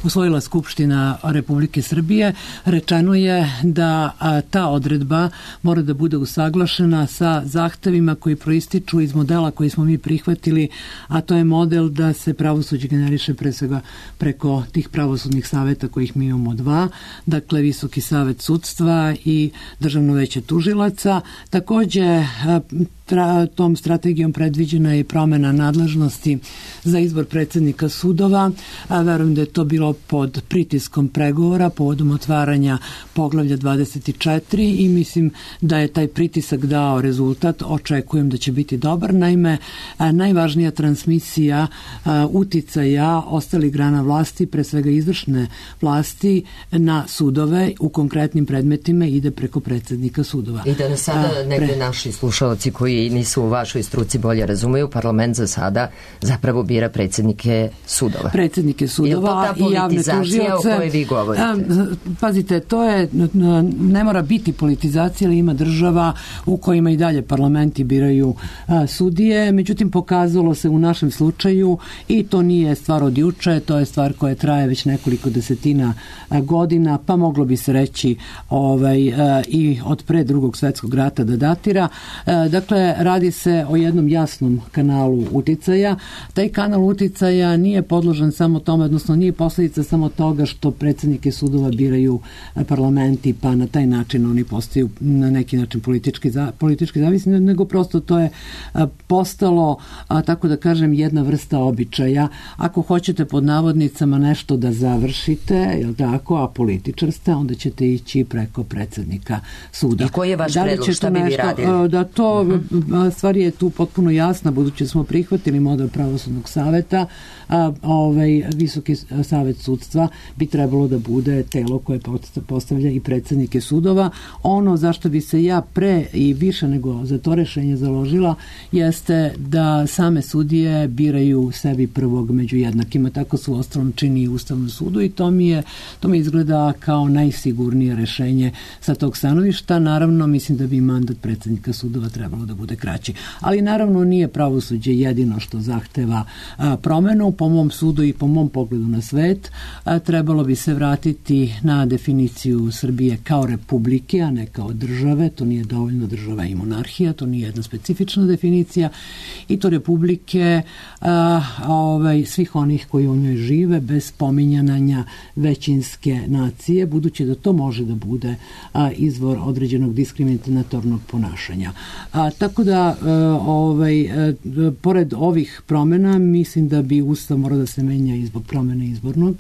usvojila Skupština Republike Srbije rečeno je da ta odredba mora da bude usaglašena sa zahtevima koji proističu iz modela koji smo mi prihvatili, a to je model da se pravosuđe generiše pre svega preko tih pravosudnih saveta kojih mi imamo dva, dakle Visoki savet sudstva i Državno veće tužilaca. Takođe tom strategijom predviđena je promena nadležnosti za izbor predsjednika sudova. Verujem da je to bilo pod pritiskom pregovora povodom otvaranja poglavlja 24 i mislim da je taj pritisak dao rezultat. Očekujem da će biti dobar. Naime, najvažnija transmisija uticaja ostalih grana vlasti, pre svega izvršne vlasti, na sudove u konkretnim predmetima ide preko predsjednika sudova. I da nas sada negde naši slušalci koji nisu u vašoj struci bolje razumeju, parlament za sada zapravo bira predsjednike sudova. Predsjednike sudova i javne tužioce. O kojoj vi govorite? Pazite, to je, ne mora biti politizacija, ali ima država u kojima i dalje parlamenti biraju sudije. Međutim, pokazalo se u našem slučaju i to nije stvar od juče, to je stvar koja traje već nekoliko desetina godina, pa moglo bi se reći i od pre Drugog svjetskog rata da datira. Dakle, radi se o jednom jasnom kanalu uticaja. Taj kanal uticaja nije podložan samo tome, odnosno nije posljedica samo toga što predsjednike sudova biraju parlamenti, pa na taj način oni postaju na neki način politički zavisni, nego prosto to je postalo, tako da kažem, jedna vrsta običaja. Ako hoćete pod navodnicama nešto da završite, jel tako, a političar ste, onda ćete ići preko predsjednika suda. I koji je vaš predlog, šta bi vi radili? Da to, stvar je tu potpuno jasna, budući smo prihvatili model pravosudnog saveta, Visoki savet sudstva bi trebalo da bude telo koje postavlja i predsjednike sudova. Ono zašto bi se ja pre i više nego za to rešenje založila jeste da same sudije biraju sebi prvog među jednakima. Tako su uostalom čini i Ustavnom sudu i to mi izgleda kao najsigurnije rešenje sa tog stanovišta. Naravno, mislim da bi mandat predsjednika sudova trebalo da bude kraći. Ali naravno nije pravosuđe jedino što zahteva promenu. Po mom sudu i po mom pogledu na svet trebalo bi se vratiti na definiciju Srbije kao republike, a ne kao države. To nije dovoljno država i monarhija, to nije jedna specifična definicija i to republike svih onih koji u njoj žive bez pominjanja većinske nacije, budući da to može da bude izvor određenog diskriminatornog ponašanja. Tako da pored ovih promjena mislim da bi Ustav morao da se menja i zbog promjene izbornog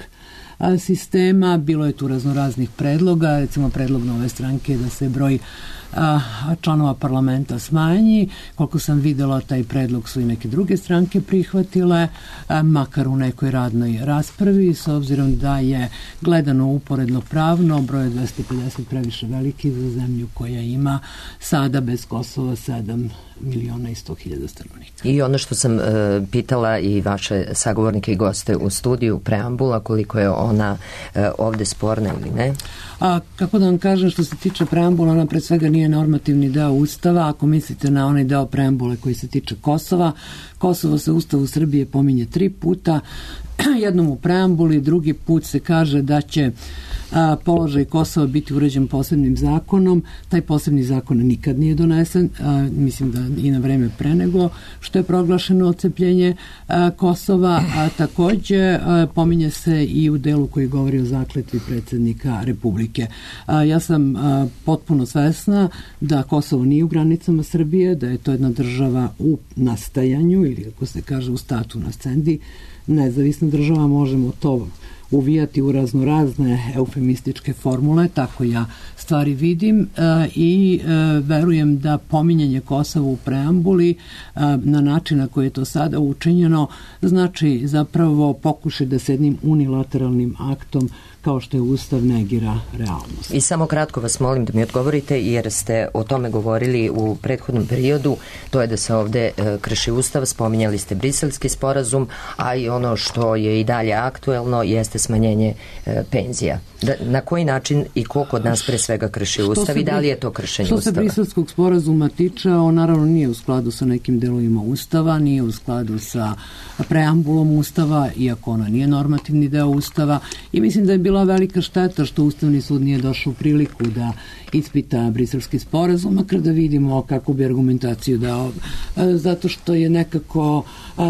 sistema. Bilo je tu raznoraznih predloga, recimo predlog Nove stranke da se broj članova parlamenta smanji. Koliko sam vidjela, taj predlog su i neke druge stranke prihvatile, makar u nekoj radnoj raspravi, s obzirom da je gledano uporedno pravno broj 250 previše veliki za zemlju koja ima sada bez Kosova 7.100.000 stanovnika. I ono što sam pitala i vaše sagovornike i goste u studiju, preambula, koliko je ona ovdje sporna ili ne? Kako da vam kažem, što se tiče preambula, ona pred svega nije normativni deo Ustava. Ako mislite na onaj deo preambule koji se tiče Kosova, Kosovo se u Ustavu Srbije pominje 3 puta, jednom u preambuli, drugi put se kaže da će položaj Kosova biti uređen posebnim zakonom. Taj posebni zakon nikad nije donesen, mislim da i na vreme pre nego što je proglašeno odcepljenje Kosova, a također pominje se i u delu koji govori o zakletvi predsjednika Republike. Ja sam potpuno svesna da Kosovo nije u granicama Srbije, da je to jedna država u nastajanju ili kako se kaže u statu nascendi, nezavisna država, možemo to uvijati u raznorazne eufemističke formule, tako ja stvari vidim i verujem da pominjanje Kosova u preambuli na način na koji je to sada učinjeno znači zapravo pokušaj da se jednim unilateralnim aktom kao što je Ustav negira realnost. I samo kratko vas molim da mi odgovorite, jer ste o tome govorili u prethodnom periodu, to je da se ovdje krši Ustav, spominjali ste Briselski sporazum, a i ono što je i dalje aktuelno jeste smanjenje penzija. Na koji način i ko kod nas pre svega krši Ustav i da li je to kršenje Ustava? Što se Briselskog sporazuma tiče, on naravno nije u skladu sa nekim delovima Ustava, nije u skladu sa preambulom Ustava, iako ona nije normativni deo Ustava, i mislim da je bilo bila velika šteta što Ustavni sud nije došao u priliku da ispita briselski sporazum, makar da vidimo kako bi argumentaciju dao, zato što je nekako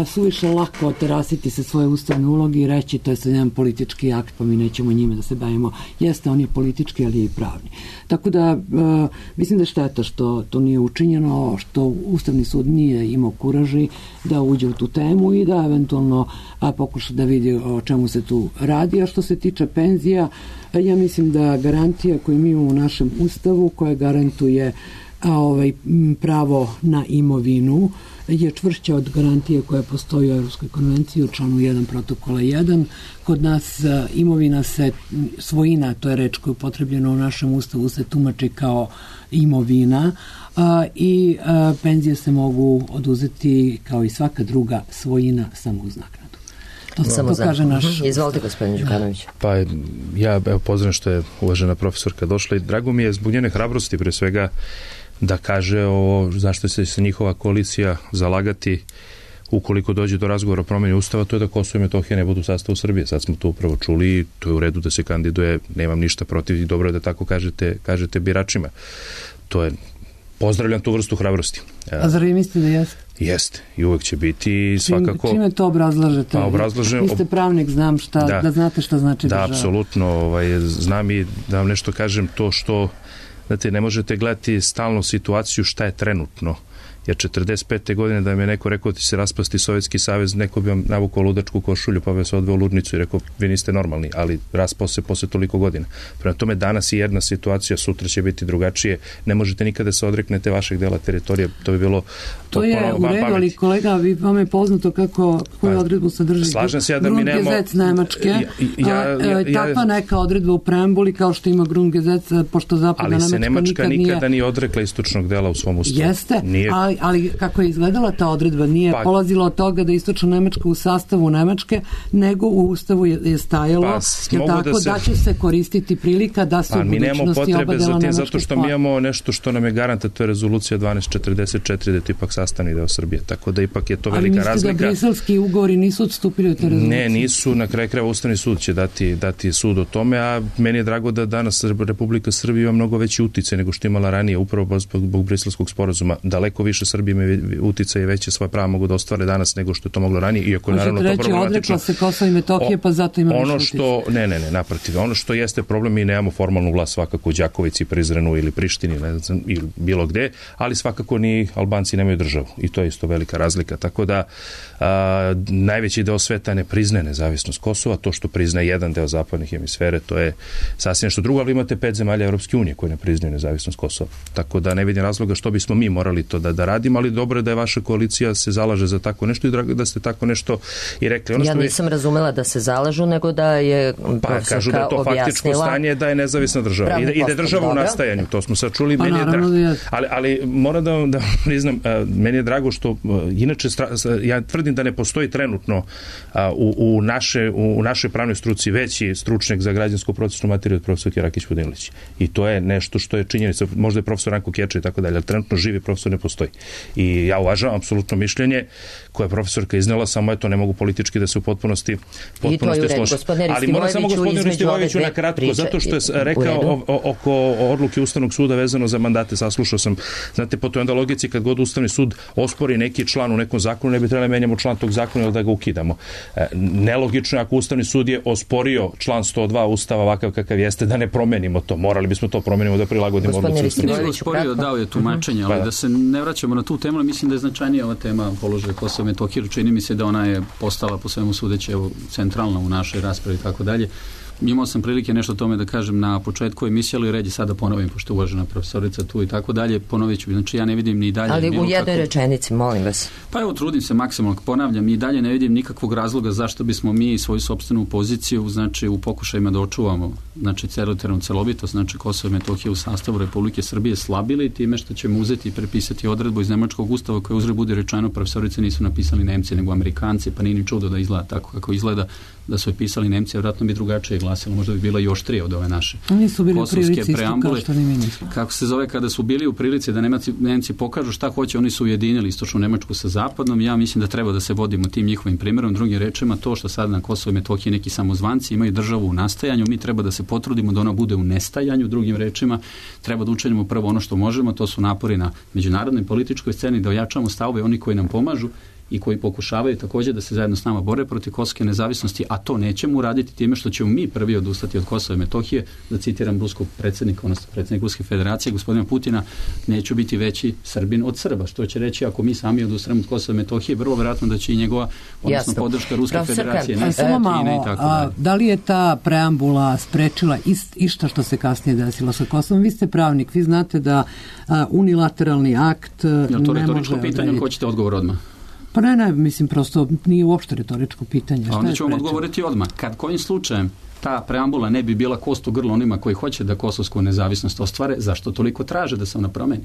suviše lako oterasiti se svoje ustavne uloge i reći to je sad jedan politički akt, pa mi nećemo njime da se bavimo. Jeste, on je politički, ali je i pravni. Tako da mislim da je šteta što to nije učinjeno, što Ustavni sud nije imao kuraži da uđe u tu temu i da eventualno pokuša da vidi o čemu se tu radi. A što se tiče penzija, ja mislim da garantija koju mi imamo u našem Ustavu, koja garantuje pravo na imovinu, je čvršća od garantije koja postoji u Evropskoj konvenciji u članu 1 protokola 1. Kod nas imovina svojina, to je reč koja je upotrebljena u našem Ustavu, se tumači kao imovina i penzije se mogu oduzeti kao i svaka druga svojina samo uz naknadu. To kaže naš... Izvolite, gospodin Đukanović. Pa ja pozdravim što je uvažena profesorka došla i drago mi je zbog njene hrabrosti pre svega da kaže zašto se njihova koalicija zalagati ukoliko dođe do razgovora o promjeni Ustava, to je da Kosovo i Metohija ne budu u sastavu Srbije. Sad smo to upravo čuli i to je u redu da se kandiduje, nemam ništa protiv i dobro je da tako kažete biračima. To je, pozdravljam tu vrstu hrabrosti. A zar vi mislite da jeste? Jeste i uvek će biti svakako... Čime to obrazlažete? Pa obrazlažem... Vi ste pravnik, znam da znate šta znači država. Da, apsolutno. Znam i da vam nešto kažem to što, znate, ne možete gledati stalno situaciju šta je trenutno. Jer 45. godine da mi je neko rekao ti se raspasti Sovjetski savez, neko bi vam navukao ludačku košulju pa bi se odveo u ludnicu i rekao vi niste normalni, ali raspao se posle toliko godina. Prema tome danas je jedna situacija, sutra će biti drugačije. Ne možete nikada se odreknete vašeg dela teritorije, to bi bilo... To je u redu, ali kolega, vam je poznato koju odredbu sadrži Grundgesetz Nemačke. Takva neka odredba u preambuli kao što ima Grundgesetz, pošto zapadna Nemačka nikada nije odrekla istočnog dela u svom ustavu. Jeste, ali kako je izgledala ta odredba, nije polazila od toga da istočna Nemačka u sastavu Nemačke, nego u ustavu je stajalo da će se koristiti prilika da se u budućnosti oba dela Nemačke zato što mi imamo nešto što nam je garanta, to je rezolucija 1244 da je to ipak sastavni deo Srbije, tako da ipak je to velika razlika. Ali mislite da briselski ugovori nisu odstupili od te rezolucije? Ne, nisu, na kraju krajeva Ustavni sud će dati sud o tome, a meni je drago da danas Republika Srbija ima mnogo veći uticaj nego što imala ranije, upravo zbog briselskog sporazuma. Daleko više Srbije ima uticaj i veće svoje prava mogu da ostvare danas nego što je to moglo ranije, iako je naravno to problematično. Odrekla se Kosova i Metohije, pa zato ima više uticaj. Ne, naprotiv. Ono što jeste problem, mi nemamo formalnu vlast svakako u Đakovici, Prizrenu ili Prištini, ne znam, ili bilo gde, ali svakako ni Albanci nemaju državu i to je isto velika razlika. Tako da najveći deo sveta ne priznaje nezavisnost Kosova, to što priznaje jedan deo zapadne hemisfere, to je sasvim nešto drugo, ali imate 5 zemalja Evropske unije koje ne priznaju nezavisnost Kosova. Tako da ne vidim razloga što bismo mi morali to da radimo, ali dobro je da je vaša koalicija se zalaže za tako nešto i drago da ste tako nešto i rekli. Ja nisam razumela da se zalažu, nego da je profesorka objasnila. Kažu da je to faktičko stanje, da je nezavisna država i da je država u nastajanju. To smo sad čuli. Ali moram da priznam, meni je drago što inače ja tvrdim da ne postoji trenutno u našoj pravnoj struci veći stručnjak za građansko procesnu materiju od profesorke Rakić Vodinilić. I to je nešto što je činjenica. Možda je profesor Ranko Keča i tako dalje, ali trenutno živi profesor ne postoji. I ja uvažavam apsolutno mišljenje koje je profesorka iznela, samo ne mogu politički da se u potpunosti složi. Ali moram samo gospodinu Ristivojeviću na kratko, zato što je rekao oko odluke Ustavnog suda vezano za mandate, saslušao sam, znate, po toj onda logici kad god Ustavni sud ospori neki član u nekom zakonu, ne bi trebali menjamo član tog zakona ili da ga ukidamo. Nelogično je ako Ustavni sud je osporio član 102 Ustava ovakav kakav jeste, da ne promenimo to. Morali bismo to promenimo da prilagodimo odluci Ustavnog suda. Osporio, dao je tumačenje, ali da se ne vraćamo na tu temu, ali mislim da je značajnija ova tema položaja Kosova i Metohije. Čini mi se da ona je postala po svemu sudeći centralna u našoj raspravi i tako dalje. Imao sam prilike nešto o tome da kažem na početku emisije, ali red je sada ponovim, pošto je uvažena profesorica tu i tako dalje, ponovit ću. Znači ja ne vidim ni dalje... Ali u jednoj rečenici, molim vas. Pa evo, trudim se maksimalno, ponavljam, i dalje ne vidim nikakvog razloga zašto bismo mi svoju sopstvenu poziciju, znači u pokušajima da očuvamo, znači teritorijalnu celovitost, znači Kosovo i Metohija u sastavu Republike Srbije slabili time što ćemo uzeti i prepisati odredbu iz Nemačkog ustava koje uzre bude rečeno, profesorice nisu napisali Nemci nego Amerikanci, pa nije ni čudo da izgleda tako kako izgleda, da su je pisali Nemci, vjerojatno bi drugačije glasilo, možda bi bilo i oštrije od ove naše nisu bili u prilici isto preambule. Kao što ni mi nismo. Kako se zove, kada su bili u prilici da Nemci pokažu šta hoće, oni su ujedinili istočnu Nemačku sa zapadnom. Ja mislim da treba da se vodimo tim njihovim primjerom. Drugim rečima, to što sad na Kosovo i Metohiji neki samozvanci imaju državu u nastajanju, mi treba da se potrudimo da ona bude u nestajanju. Drugim rečima, treba da učinimo prvo ono što možemo, to su napori na međunarodnoj političkoj sceni, da ojačamo stavove oni koji nam pomažu i koji pokušavaju također da se zajedno s nama bore protiv kosovske nezavisnosti, a to nećemo uraditi time što ćemo mi prvi odustati od Kosova i Metohije. Da citiram ruskog predsjednika, odnosno predsjednik Ruske federacije, gospodina Putina, neću biti veći Srbin od Srba. Što će reći, ako mi sami odustanemo od Kosova i Metohije, vrlo vjerojatno da će i njegova, odnosno podrška Ruske federacije, ne Kine i tako dalje. Da li je ta preambula sprečila išta što se kasnije desilo sa Kosovom? Vi ste pravnik, vi znate da unilateralni akt ne može... Je to retoričko pitanje, hoćete odgovor odmah? Pa ne, mislim, prosto nije uopšte retoričko pitanje. A onda ću vam odgovoriti odmah. Kad kojim slučajem ta preambula ne bi bila kost u grlo onima koji hoće da kosovsku nezavisnost ostvare, zašto toliko traže da se ona promeni?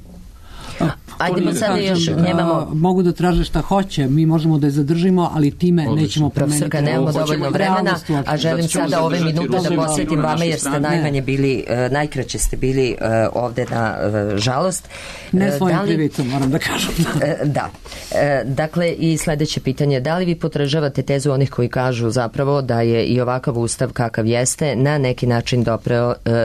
Ajdemo sad još, nemamo... Mogu da traže šta hoće, mi možemo da je zadržimo, ali time nećemo promeniti. Profesorka, nemamo dovoljno vremena, a želim sada ove minute da posvetim vama, jer ste najmanje bili, najkraće ste bili ovde na žalost. Ne svojim krivicom, moram da kažem. Da. Dakle, i sledeće pitanje, da li vi potražavate tezu onih koji kažu zapravo da je i ovakav ustav kakav jeste na neki način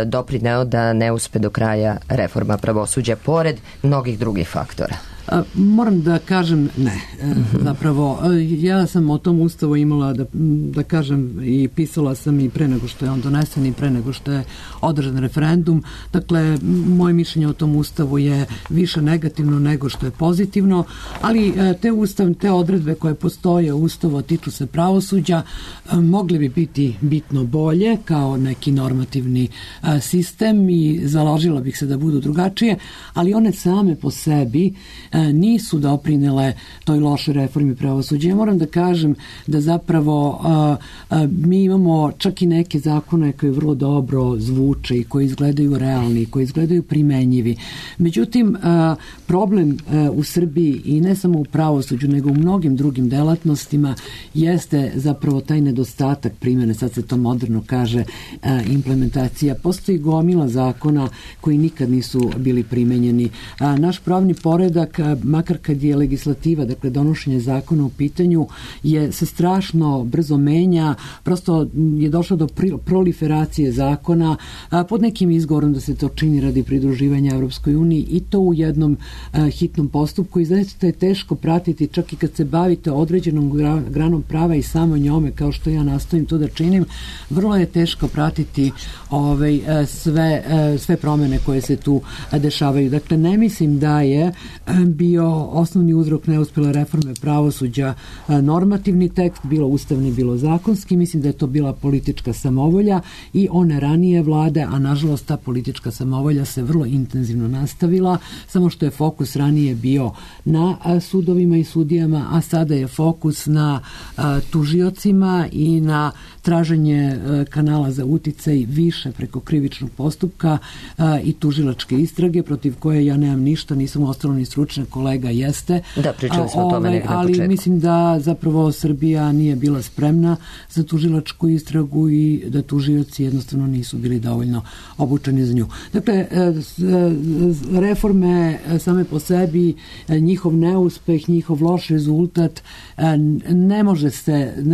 doprineo da ne uspe do kraja reforma pravosuđa, pored mnogih drugih faktora? Moram da kažem ne. Zapravo, ja sam o tom ustavu imala da kažem i pisala sam i pre nego što je on donesen i pre nego što je održan referendum. Dakle, moje mišljenje o tom ustavu je više negativno nego što je pozitivno, ali te odredbe koje postoje u ustavu tiču se pravosuđa, mogli bi biti bitno bolje kao neki normativni sistem i založila bih se da budu drugačije, ali one same po sebi nisu doprinele toj lošoj reformi pravosuđa. Ja moram da kažem da zapravo mi imamo čak i neke zakone koji vrlo dobro zvuče i koji izgledaju realni, koji izgledaju primenjivi. Međutim, problem u Srbiji i ne samo u pravosuđu, nego u mnogim drugim delatnostima jeste zapravo taj nedostatak primjene, sad se to moderno kaže, implementacija. Postoji gomila zakona koji nikad nisu bili primenjeni. Naš pravni poredak, makar kad je legislativa, dakle donošenje zakona u pitanju, se strašno brzo menja, prosto je došlo do proliferacije zakona pod nekim izgovorom da se to čini radi pridruživanja Evropskoj uniji i to u jednom hitnom postupku i zaista je teško pratiti, čak i kad se bavite određenom granom prava i samo njome, kao što ja nastojim to da činim, vrlo je teško pratiti sve promene koje se tu dešavaju. Dakle, ne mislim da je bio osnovni uzrok neuspjele reforme pravosuđa normativni tekst, bilo ustavni, bilo zakonski. Mislim da je to bila politička samovolja i one ranije vlade, a nažalost ta politička samovolja se vrlo intenzivno nastavila, samo što je fokus ranije bio na sudovima i sudijama, a sada je fokus na tužiocima i na traženje kanala za uticaj više preko krivičnog postupka i tužilačke istrage, protiv koje ja nemam ništa, nisam ostalo ni stručna, kolega jeste. Da, pričali smo o tome negdje na početku. Ali mislim da zapravo Srbija nije bila spremna za tužilačku istragu i da tužioci jednostavno nisu bili dovoljno obučeni za nju. Dakle, reforme same po sebi, njihov neuspeh, njihov loš rezultat, ne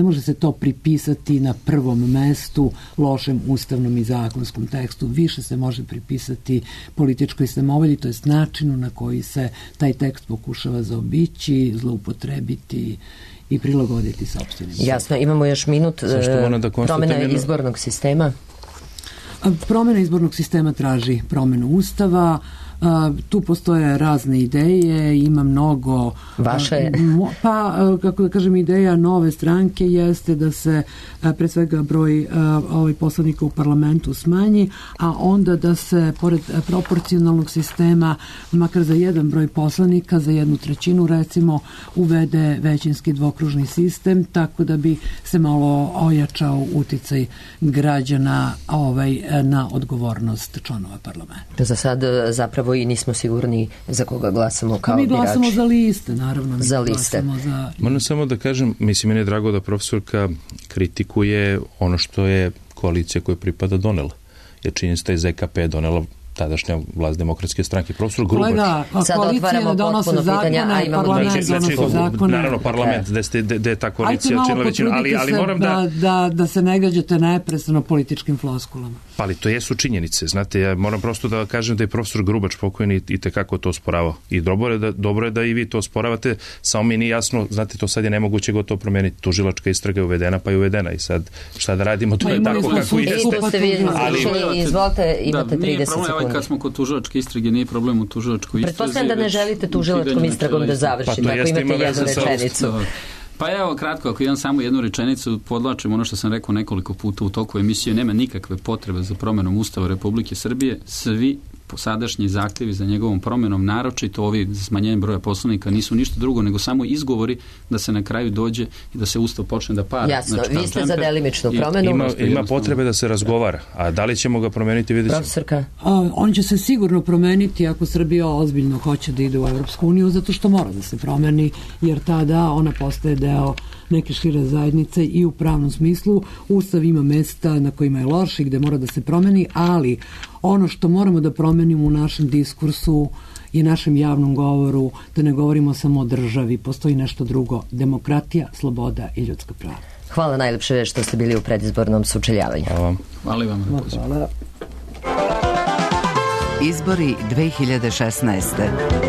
može se to pripisati na prvom mestu lošem ustavnom i zakonskom tekstu. Više se može pripisati političkoj samovolji, to jest načinu na koji se taj tekst pokušava zaobići, zloupotrebiti i prilagoditi sopstvenim. Jasno, imamo još minut. Promjena izbornog sistema. Promjena izbornog sistema traži promjenu ustava. Tu postoje razne ideje, ima mnogo... Vaše? Kako da kažem, ideja nove stranke jeste da se pre svega broj poslanika u parlamentu smanji, a onda da se pored proporcionalnog sistema, makar za jedan broj poslanika, za 1/3 recimo, uvede većinski dvokružni sistem, tako da bi se malo ojačao uticaj građana na odgovornost članova parlamenta. Za sad zapravo i nismo sigurni za koga glasamo kao birači. Mi glasamo za liste, naravno. Za liste. Moram samo da kažem, mislim, meni je drago da profesorka kritikuje ono što je koalicija koja pripada donela. Jer činjenica da je ZKP donela tadašnja vlast Demokratske stranke. Profesor Grubač. Sad otvaramo potpuno pitanja, a imamo naravno parlament, gde je ta koalicija činila većinu, ali moram da se ne gađate neprestano političkim floskulama. Pa ali to jesu činjenice. Znate, ja moram prosto da kažem da je profesor Grubač pokojni i tekako to osporavao. I dobro je da i vi to osporavate, samo mi nije jasno, znate, to sad je nemoguće gotovo promijeniti. Tužilačka istraga je uvedena, pa je uvedena i sad šta da radimo, to je tako kako jeste. Izvolite, imate 30 sekundi. Kad smo kod tužilačke istrage, nije problem u tužilačkoj istrazi. Pretpostavljam da ne želite tužilačkom istragom da završite, ako imate jednu rečenicu. Pa evo, kratko, ako imam samo jednu rečenicu, podlačim ono što sam rekao nekoliko puta u toku emisije, nema nikakve potrebe za promjenom Ustava Republike Srbije, svi sadašnji zahtjevi za njegovom promjenom, naročito ovi za smanjenjem broja poslanika, nisu ništa drugo nego samo izgovori da se na kraju dođe i da se Ustav počne da para. Jasno, znači, vi ste za delimičnu promjenu. Ima potrebe da se razgovara, a da li ćemo ga promijeniti, vidjet ćemo. Profesorka? On će se sigurno promeniti ako Srbija ozbiljno hoće da ide u Evropsku uniju, zato što mora da se promeni, jer tada ona postaje deo neke šire zajednice i u pravnom smislu. Ustav ima mesta na kojima je loš i gde mora da se promeni, ali ono što moramo da promenimo u našem diskursu i našem javnom govoru, da ne govorimo samo o državi, postoji nešto drugo, demokratija, sloboda i ljudska prava. Hvala najlepše što ste bili u predizbornom sučeljavanju. Hvala vam. Izbori 2016.